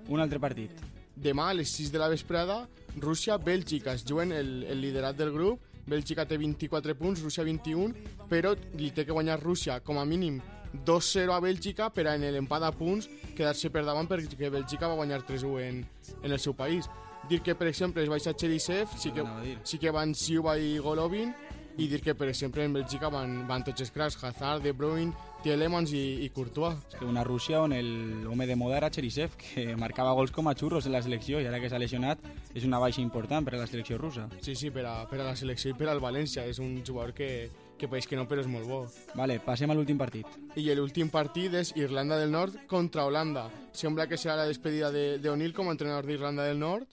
Un altre partit. Demà a les sis de la vesprada, Rússia-Bèlgica. Es juguen el, el liderat del grup. Bèlgica té vint-i-quatre punts, Rússia vint-i-un, però li té que guanyar Rússia com a mínim dos zero a Bèlgica per a en l'empat a punts quedar-se per davant perquè Bèlgica va guanyar tres u en, en el seu país. Dir que, per exemple, es baixa Cherisev, sí que, sí que van Siuba i Golovin, i dir que, per exemple, en Bèlgica van, van tots els cracs, Hazard, De Bruyne, Tielemans i, i Courtois. És que una Rússia on el home de moda era Cherisev, que marcava gols com a xurros en la selecció, i ara que s'ha lesionat és una baixa important per a la selecció russa. Sí, sí, per a, per a la selecció i per al València. És un jugador que, que pareix que no, però és molt bo. Vale, passem a l'últim partit. I l'últim partit és Irlanda del Nord contra Holanda. Sembla que serà la despedida d'O'Neill com a entrenador d'Irlanda del Nord,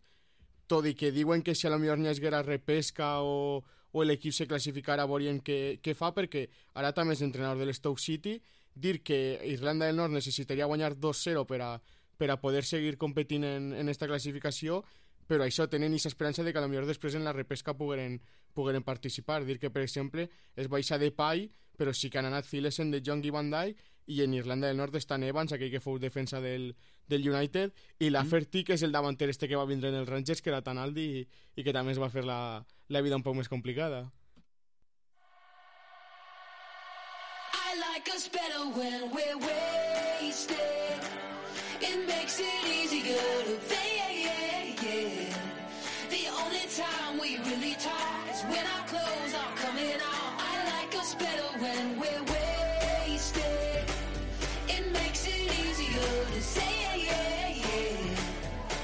tot i que diuen que si a lo millor n'hi haguera repesca o, o l'equip se classificara veurien què, què fa, perquè ara també és entrenador de l'Stoke City. Dir que Irlanda del Nord necessitaria guanyar dos zero per a, per a poder seguir competint en, en esta classificació, però això tenen aquesta esperança de que a lo millor després en la repesca pogueren, pogueren participar. Dir que, per exemple, es baixa de Pai, però sí que han anat Thilesen, de Jong i Van Dijk, i en Irlanda del Nord està Evans, aquell que fou defensa del, del United, i la Ferti, que és el davanter este que va vindre en els Rangers, que era tan alt i, i que també es va fer la, la vida un poc més complicada. I like us better when we're wasted. It makes it easier to fade. The only time we really talk is when our clothes are coming off. I like us better when we're wasted. It makes it easier to say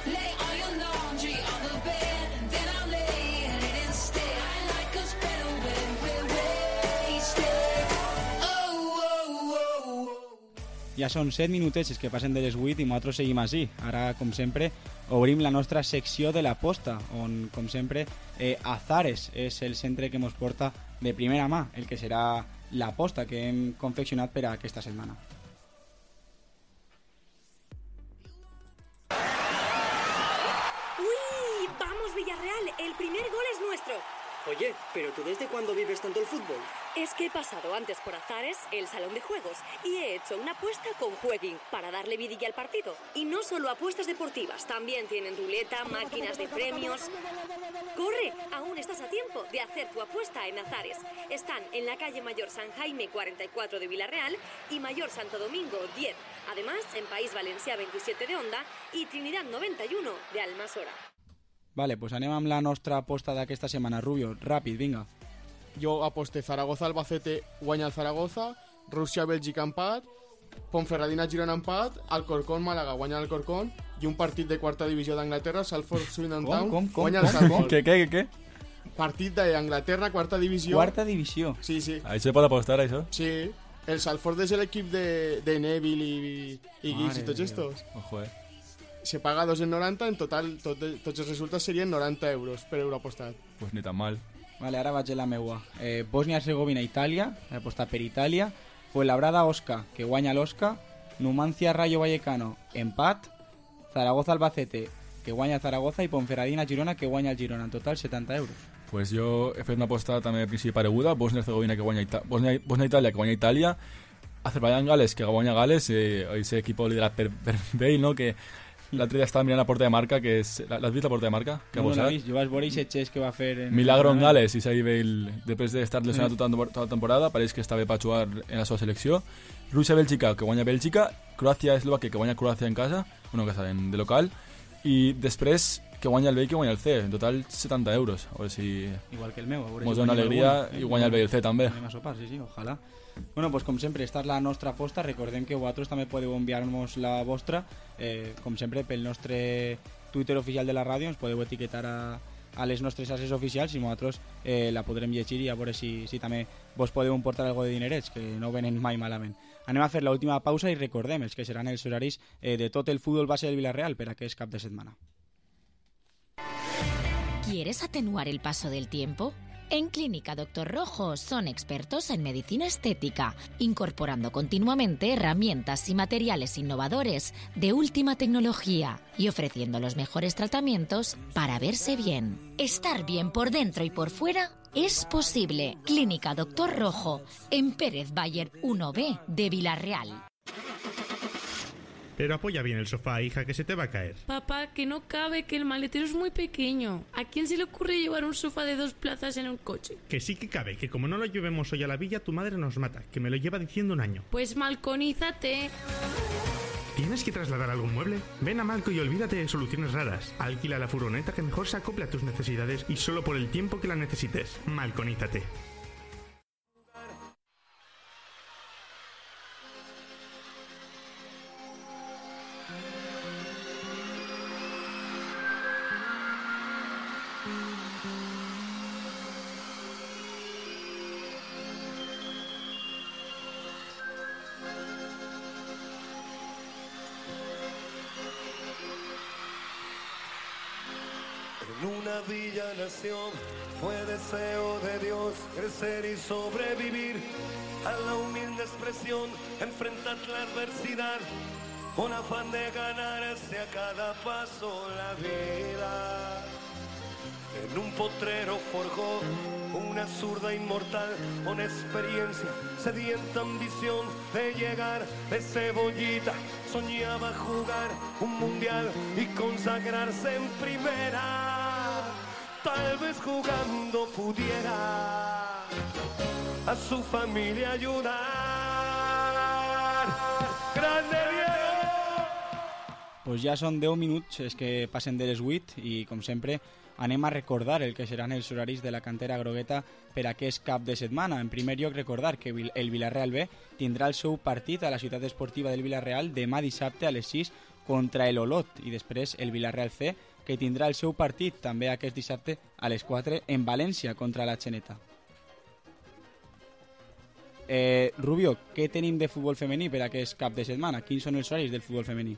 lay all your laundry on the bed and then I'll lay in it instead. I like us better when we're wasted. Oh, oh, oh, oh. Ja són set minutets que passen de les vuit i nosaltres seguim així. Ara, com sempre, obrim la nostra secció de l'aposta, on, com sempre, eh, Azares és el centre que ens porta de primera mà, el que serà l'aposta que hem confeccionat per a aquesta setmana. ¡Uy! ¡Vamos, Villarreal! El primer gol es nuestro. Oye, ¿pero tú desde cuándo vives tanto el fútbol? Es que he pasado antes por Azares, el salón de juegos, y he hecho una apuesta con Jueguin para darle vidilla al partido. Y no solo apuestas deportivas, también tienen ruleta, máquinas de premios. ¡Corre! Aún estás a tiempo de hacer tu apuesta en Azares. Están en la calle Mayor San Jaime cuarenta y cuatro de Villarreal y Mayor Santo Domingo diez. Además, en País Valencià veintisiete de Onda y Trinidad noventa y uno de Almasora. Vale, pues anem amb la nostra aposta d'aquesta setmana. Rubio, ràpid, vinga. Jo aposte Zaragoza-Albacete, guanya el Zaragoza, Rússia-Bèlgica empat, Ponferradina-Girona empat, Alcorcón-Màlaga, guanya l'Alcorcón, i un partit de quarta divisió d'Anglaterra, Salford-Swindon Town, com, com, guanya el com, Salford. ¿Qué, qué, qué? Partit d'Anglaterra, quarta divisió. Quarta divisió. Sí, sí. Ahí se pot apostar, això? Sí. El Salford és l'equip de, de Neville i, i Giggs i tots estos. Ojo, eh. Se paga dos en noranta, en total tot, tots els resultats serien noranta euros per euro apostat. Pues ni tan mal. Vale, ara vaig a la meua. Eh, Bòsnia-Herzegovina-Itàlia, he apostat per Itàlia. Fuenlabrada-Osca, que guanya l'Osca. Numancia-Rayo Vallecano, empat. Zaragoza-Albacete, que guanya Zaragoza. I Ponferradina-Girona, que guanya el Girona. En total, setanta euros. Pues jo he fet una aposta també a principi pareguda. Bòsnia-Herzegovina, que guanya Ita Bòsnia, Bòsnia-Itàlia, que guanya Itàlia. Azerbaiyán-Gales, que guanya Gales. Eh, ese equipo liderat per, per Bale, no? Que l'altre dia estava mirant la porta de marca, que és... L'has vist la porta de marca? Que no, no l'he vist. Jo vaig veure aquest xest que va fer... En Milagro en Gales, i s'ha Bale, després d'estar lesionat tota, tota la temporada, pareix que està bé per jugar en la seva selecció. Rússia-Bèlgica, que guanya Bèlgica. Croàcia-Eslovàquia, que guanya Croàcia en casa, bueno, que saben, de local. I després que guanya el B i que guanya el C. En total, setanta euros. A veure si... Igual que el meu. Mos dona alegria i guanya el B i el C també. Anem a sopar, sí, sí, ojalà. Bueno, pues com sempre, esta és la nostra aposta. Recordem que vosaltres també podeu enviar-nos la vostra, eh, com sempre, pel nostre Twitter oficial de la ràdio. Ens podeu etiquetar a, a les nostres xarxes oficials i nosaltres eh, la podrem llegir i a veure si, si també vos podeu emportar algo de dinerets, que no venen mai malament. Anem a fer l'última pausa i recordem els que seran els horaris eh, de tot el futbol base del Villarreal per aquest cap de setmana. ¿Quieres atenuar el paso del tiempo? En Clínica Doctor Rojo son expertos en medicina estética, incorporando continuamente herramientas y materiales innovadores de última tecnología y ofreciendo los mejores tratamientos para verse bien. Estar bien por dentro y por fuera es posible. Clínica Doctor Rojo, en Pérez Bayer uno B de Villarreal. Pero apoya bien el sofá, hija, que se te va a caer. Papá, que no cabe, que el maletero es muy pequeño. ¿A quién se le ocurre llevar un sofá de dos plazas en un coche? Que sí que cabe, que como no lo llevemos hoy a la villa, tu madre nos mata, que me lo lleva diciendo un año. Pues malconízate. ¿Tienes que trasladar algún mueble? Ven a Malco y olvídate de soluciones raras. Alquila la furgoneta que mejor se acople a tus necesidades y solo por el tiempo que la necesites. Malconízate. En una villa nació, fue deseo de Dios crecer y sobrevivir a la humilde expresión, enfrentar la adversidad con afán de ganarse a cada paso la vida. En un potrero forjó una zurda inmortal con experiencia, sedienta ambición de llegar de cebollita. Soñaba jugar un mundial y consagrarse en primera. Tal vez jugando pudiera a su familia ayudar. ¡Grande Diego! Pues ja són deu minuts és que passen de les vuit i, com sempre, anem a recordar el que seran els horaris de la cantera grogueta per aquest cap de setmana. En primer lloc, recordar que el Villarreal B tindrà el seu partit a la ciutat esportiva del Villarreal demà dissabte a les sis contra el Olot, i després el Villarreal C, que tindrà el seu partit també aquest dissabte a les quatre en València contra la Xeneta. Eh, Rubio, què tenim de futbol femení per aquest cap de setmana? Quins són els horaris del futbol femení?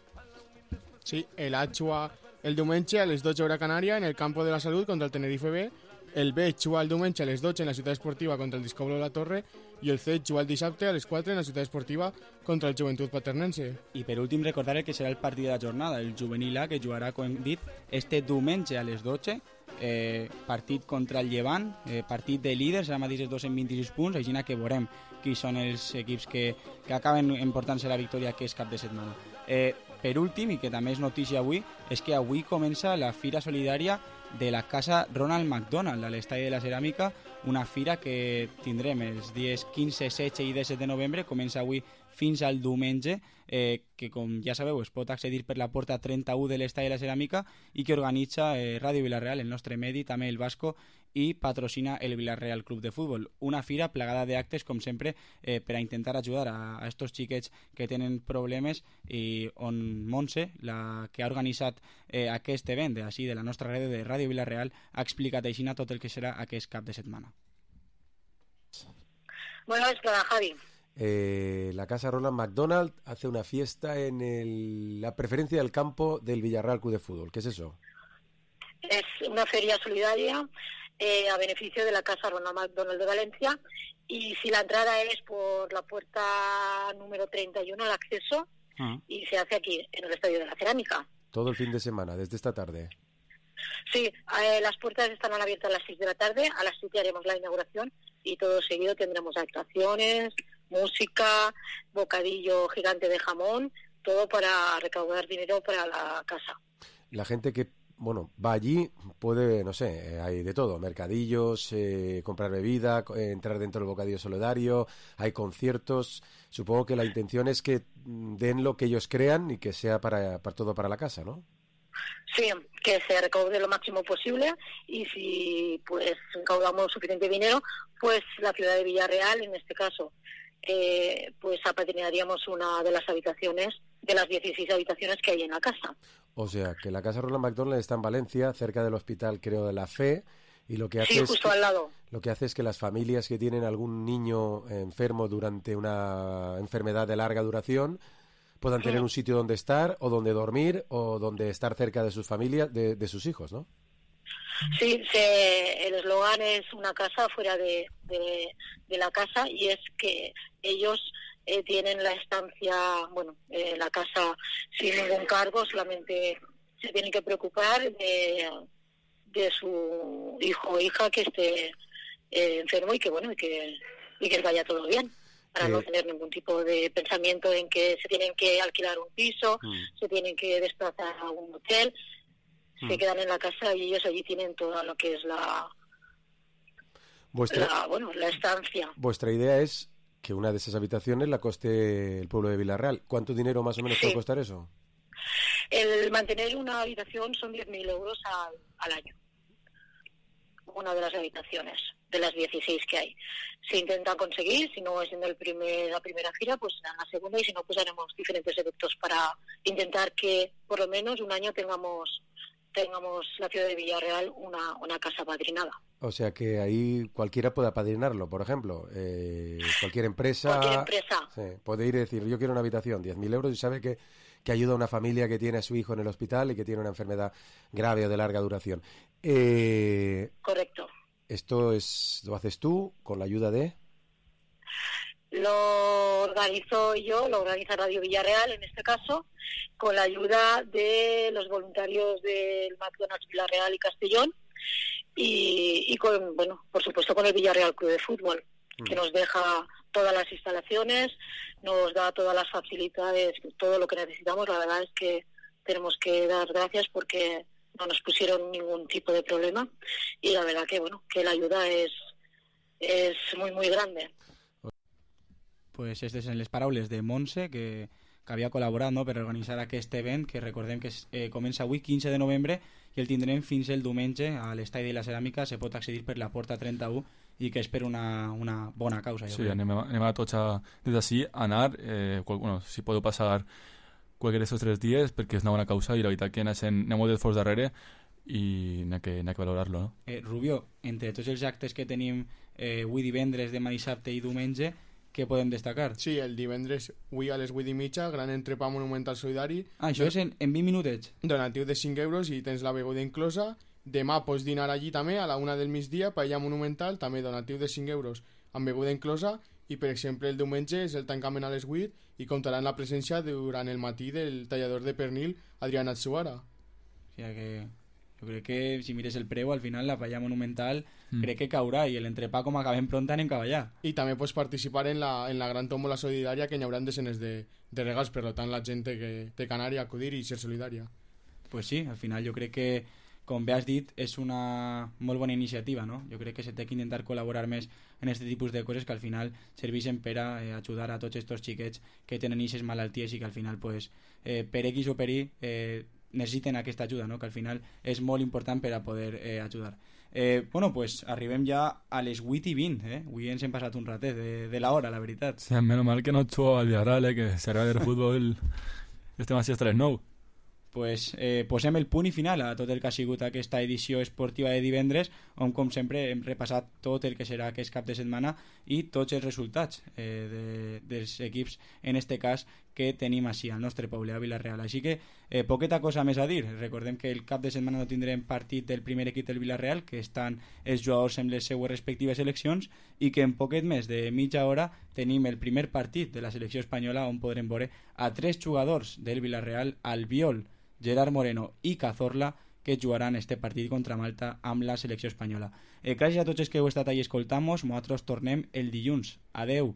Sí, el A juga el diumenge a les dotze hora Canària en el Campo de la Salut contra el Tenerife B, el B juga el diumenge a les dotze en la Ciutat Esportiva contra el Discoblo de la Torre i el C juga el dissabte a les quatre en la Ciutat Esportiva contra el Joventut Paternense. I per últim recordar el que serà el partit de la jornada, el Juvenil A, que jugarà, com hem dit, este diumenge a les dotze, eh, partit contra el Llevant, eh, partit de líders, ara mateix els dos en vint-i-sis punts, així que veurem qui són els equips que, que acaben emportant-se la victòria aquest cap de setmana. Eh, per últim, i que també és notícia avui, és que avui comença la Fira Solidària de la Casa Ronald McDonald a l'Estadi de la Ceràmica, una fira que tindrem els dies quinze, setze i disset de novembre, comença avui fins al diumenge, eh, que com ja sabeu es pot accedir per la porta trenta-u de l'Estadi de la Ceràmica i que organitza eh, Ràdio Villarreal, el nostre medi, també el Vasco, i patrocina el Villarreal Club de Futbol. Una fira plagada d'actes, com sempre, eh, per a intentar ajudar a, a estos xiquets que tenen problemes i on Montse, la que ha organitzat eh, aquest event de, així, de la nostra ràdio de Ràdio Villarreal, ha explicat així tot el que serà aquest cap de setmana. Bueno, es para Javi. Eh, la Casa Ronald McDonald hace una fiesta en el, la preferencia del campo del Villarreal Club de Fútbol. ¿Qué es eso? Es una feria solidaria eh, a beneficio de la Casa Ronald McDonald de Valencia, y si la entrada es por la puerta número treinta y uno, el acceso, uh-huh. y se hace aquí, en el Estadio de la Cerámica. Todo el fin de semana, desde esta tarde. Sí, eh, las puertas estarán abiertas a las seis de la tarde, a las siete haremos la inauguración y todo seguido tendremos actuaciones, música, bocadillo gigante de jamón, todo para recaudar dinero para la casa. La gente que bueno va allí puede, no sé, hay de todo, mercadillos, eh, comprar bebida, eh, entrar dentro del bocadillo solidario, hay conciertos. Supongo que la intención es que den lo que ellos crean y que sea para, para todo para la casa, ¿no? Sí, que se recaude lo máximo posible, y si pues recaudamos suficiente dinero, pues la ciudad de Villarreal, en este caso, eh, pues apadrinaríamos una de las habitaciones, de las dieciséis habitaciones que hay en la casa. O sea, que la Casa Ronald McDonald está en Valencia, cerca del hospital, creo, de la Fe, y lo que hace sí, es justo que, al lado. Lo que hace es que las familias que tienen algún niño enfermo durante una enfermedad de larga duración puedan tener un sitio donde estar, o donde dormir, o donde estar cerca de sus familias, de, de sus hijos, ¿no? Sí, se, el eslogan es una casa fuera de, de, de la casa, y es que ellos eh, tienen la estancia, bueno, eh, la casa sin ningún cargo, solamente se tienen que preocupar de, de su hijo o hija que esté eh, enfermo y que, bueno, y que, y que vaya todo bien, para eh, no tener ningún tipo de pensamiento en que se tienen que alquilar un piso, mm. se tienen que desplazar a un hotel. Se quedan en la casa y ellos allí tienen todo lo que es la, vuestra, la, bueno, la estancia. Vuestra idea es que una de esas habitaciones la coste el pueblo de Villarreal. ¿Cuánto dinero más o menos sí. puede costar eso? El mantener una habitación son diez mil euros al, al año. Una de las habitaciones, de las dieciséis que hay. Se intenta conseguir, si no es en el primer, la primera gira, pues en la segunda, y si no, pues haremos diferentes eventos para intentar que por lo menos un año tengamos tengamos la ciudad de Villarreal una, una casa padrinada. O sea que ahí cualquiera puede apadrinarlo, por ejemplo. Eh, cualquier empresa, cualquier empresa. Sí, puede ir y decir, yo quiero una habitación, diez mil euros, y sabe que, que ayuda a una familia que tiene a su hijo en el hospital y que tiene una enfermedad grave o de larga duración. Eh, Correcto. ¿Esto es lo haces tú con la ayuda de...? Lo organizo yo, lo organiza Radio Villarreal en este caso, con la ayuda de los voluntarios del McDonald's Villarreal y Castellón y, y con, bueno, por supuesto con el Villarreal Club de Fútbol, mm. que nos deja todas las instalaciones, nos da todas las facilidades, todo lo que necesitamos. La verdad es que tenemos que dar gracias porque no nos pusieron ningún tipo de problema y la verdad que, bueno, que la ayuda es, es muy, muy grande. Pues este és en les paraules de Montse, que, que havia col·laborat, no?, per organitzar aquest event, que recordem que eh, comença avui, quinze de novembre, i el tindrem fins el diumenge a l'Estadi de la Ceràmica. Se pot accedir per la porta trenta-u i que és per una, una bona causa. Sí, anem a, anem a tots a, des d'ací a anar, eh, qual, bueno, si podeu passar qualsevol d'aquests tres dies, perquè és una bona causa i la veritat que anem molt d'esforç darrere i n'ha que, que valorarlo, no? Eh, Rubio, entre tots els actes que tenim eh, avui divendres, demà dissabte i diumenge, què podem destacar? Sí, el divendres, avui a les vuit i mitja, gran entrepà monumental solidari. Ah, això és en, en vint minutets? Donatiu de cinc euros i tens la beguda inclosa. Demà pots dinar allí també, a la una del migdia, paella monumental, també donatiu de cinc euros amb beguda inclosa. I, per exemple, el diumenge és el tancament a les vuit i comptarà amb la presència durant el matí del tallador de pernil Adrián Atsuara. O sigui que... Jo crec que si mires el preu, al final la paella monumental mm. crec que caurà i l'entrepà com acabem pront anem cap allà. I també pots participar en la, en la gran tómbola solidària que hi haurà desenes de, de regals, per tant la gent té que, té que anar i acudir i ser solidària. Pues sí, al final jo crec que, com bé has dit, és una molt bona iniciativa, no? Jo crec que se té que intentar col·laborar més en aquest tipus de coses que al final serveixen per a eh, ajudar a tots aquests xiquets que tenen aquestes malalties i que al final, pues, eh, per X o per Y, eh, necessiten aquesta ajuda, no? Que al final és molt important per a poder eh, ajudar. Eh, bueno, pues arribem ja a les vuit i vint, eh? Avui ens hem passat un ratet de, de la hora, la veritat. Sí, menos mal que no ets al Villarreal, eh? Que si agrada el futbol estem així hasta les nou. Pues eh, posem el punt i final a tot el que ha sigut aquesta edició esportiva de divendres, on com sempre hem repassat tot el que serà aquest cap de setmana i tots els resultats eh, de, dels equips, en este cas que tenim així al nostre poble, a Villarreal. Així que eh, poqueta cosa més a dir. Recordem que el cap de setmana no tindrem partit del primer equip del Villarreal, que estan els jugadors en les seues respectives seleccions, i que en poquet més de mitja hora tenim el primer partit de la selecció espanyola, on podrem veure a tres jugadors del Villarreal, Albiol, Gerard Moreno i Cazorla, que jugaran este partit contra Malta amb la selecció espanyola. Eh, gràcies a tots els que heu estat ahí escoltant-nos. Nosaltres tornem el dilluns. Adeu.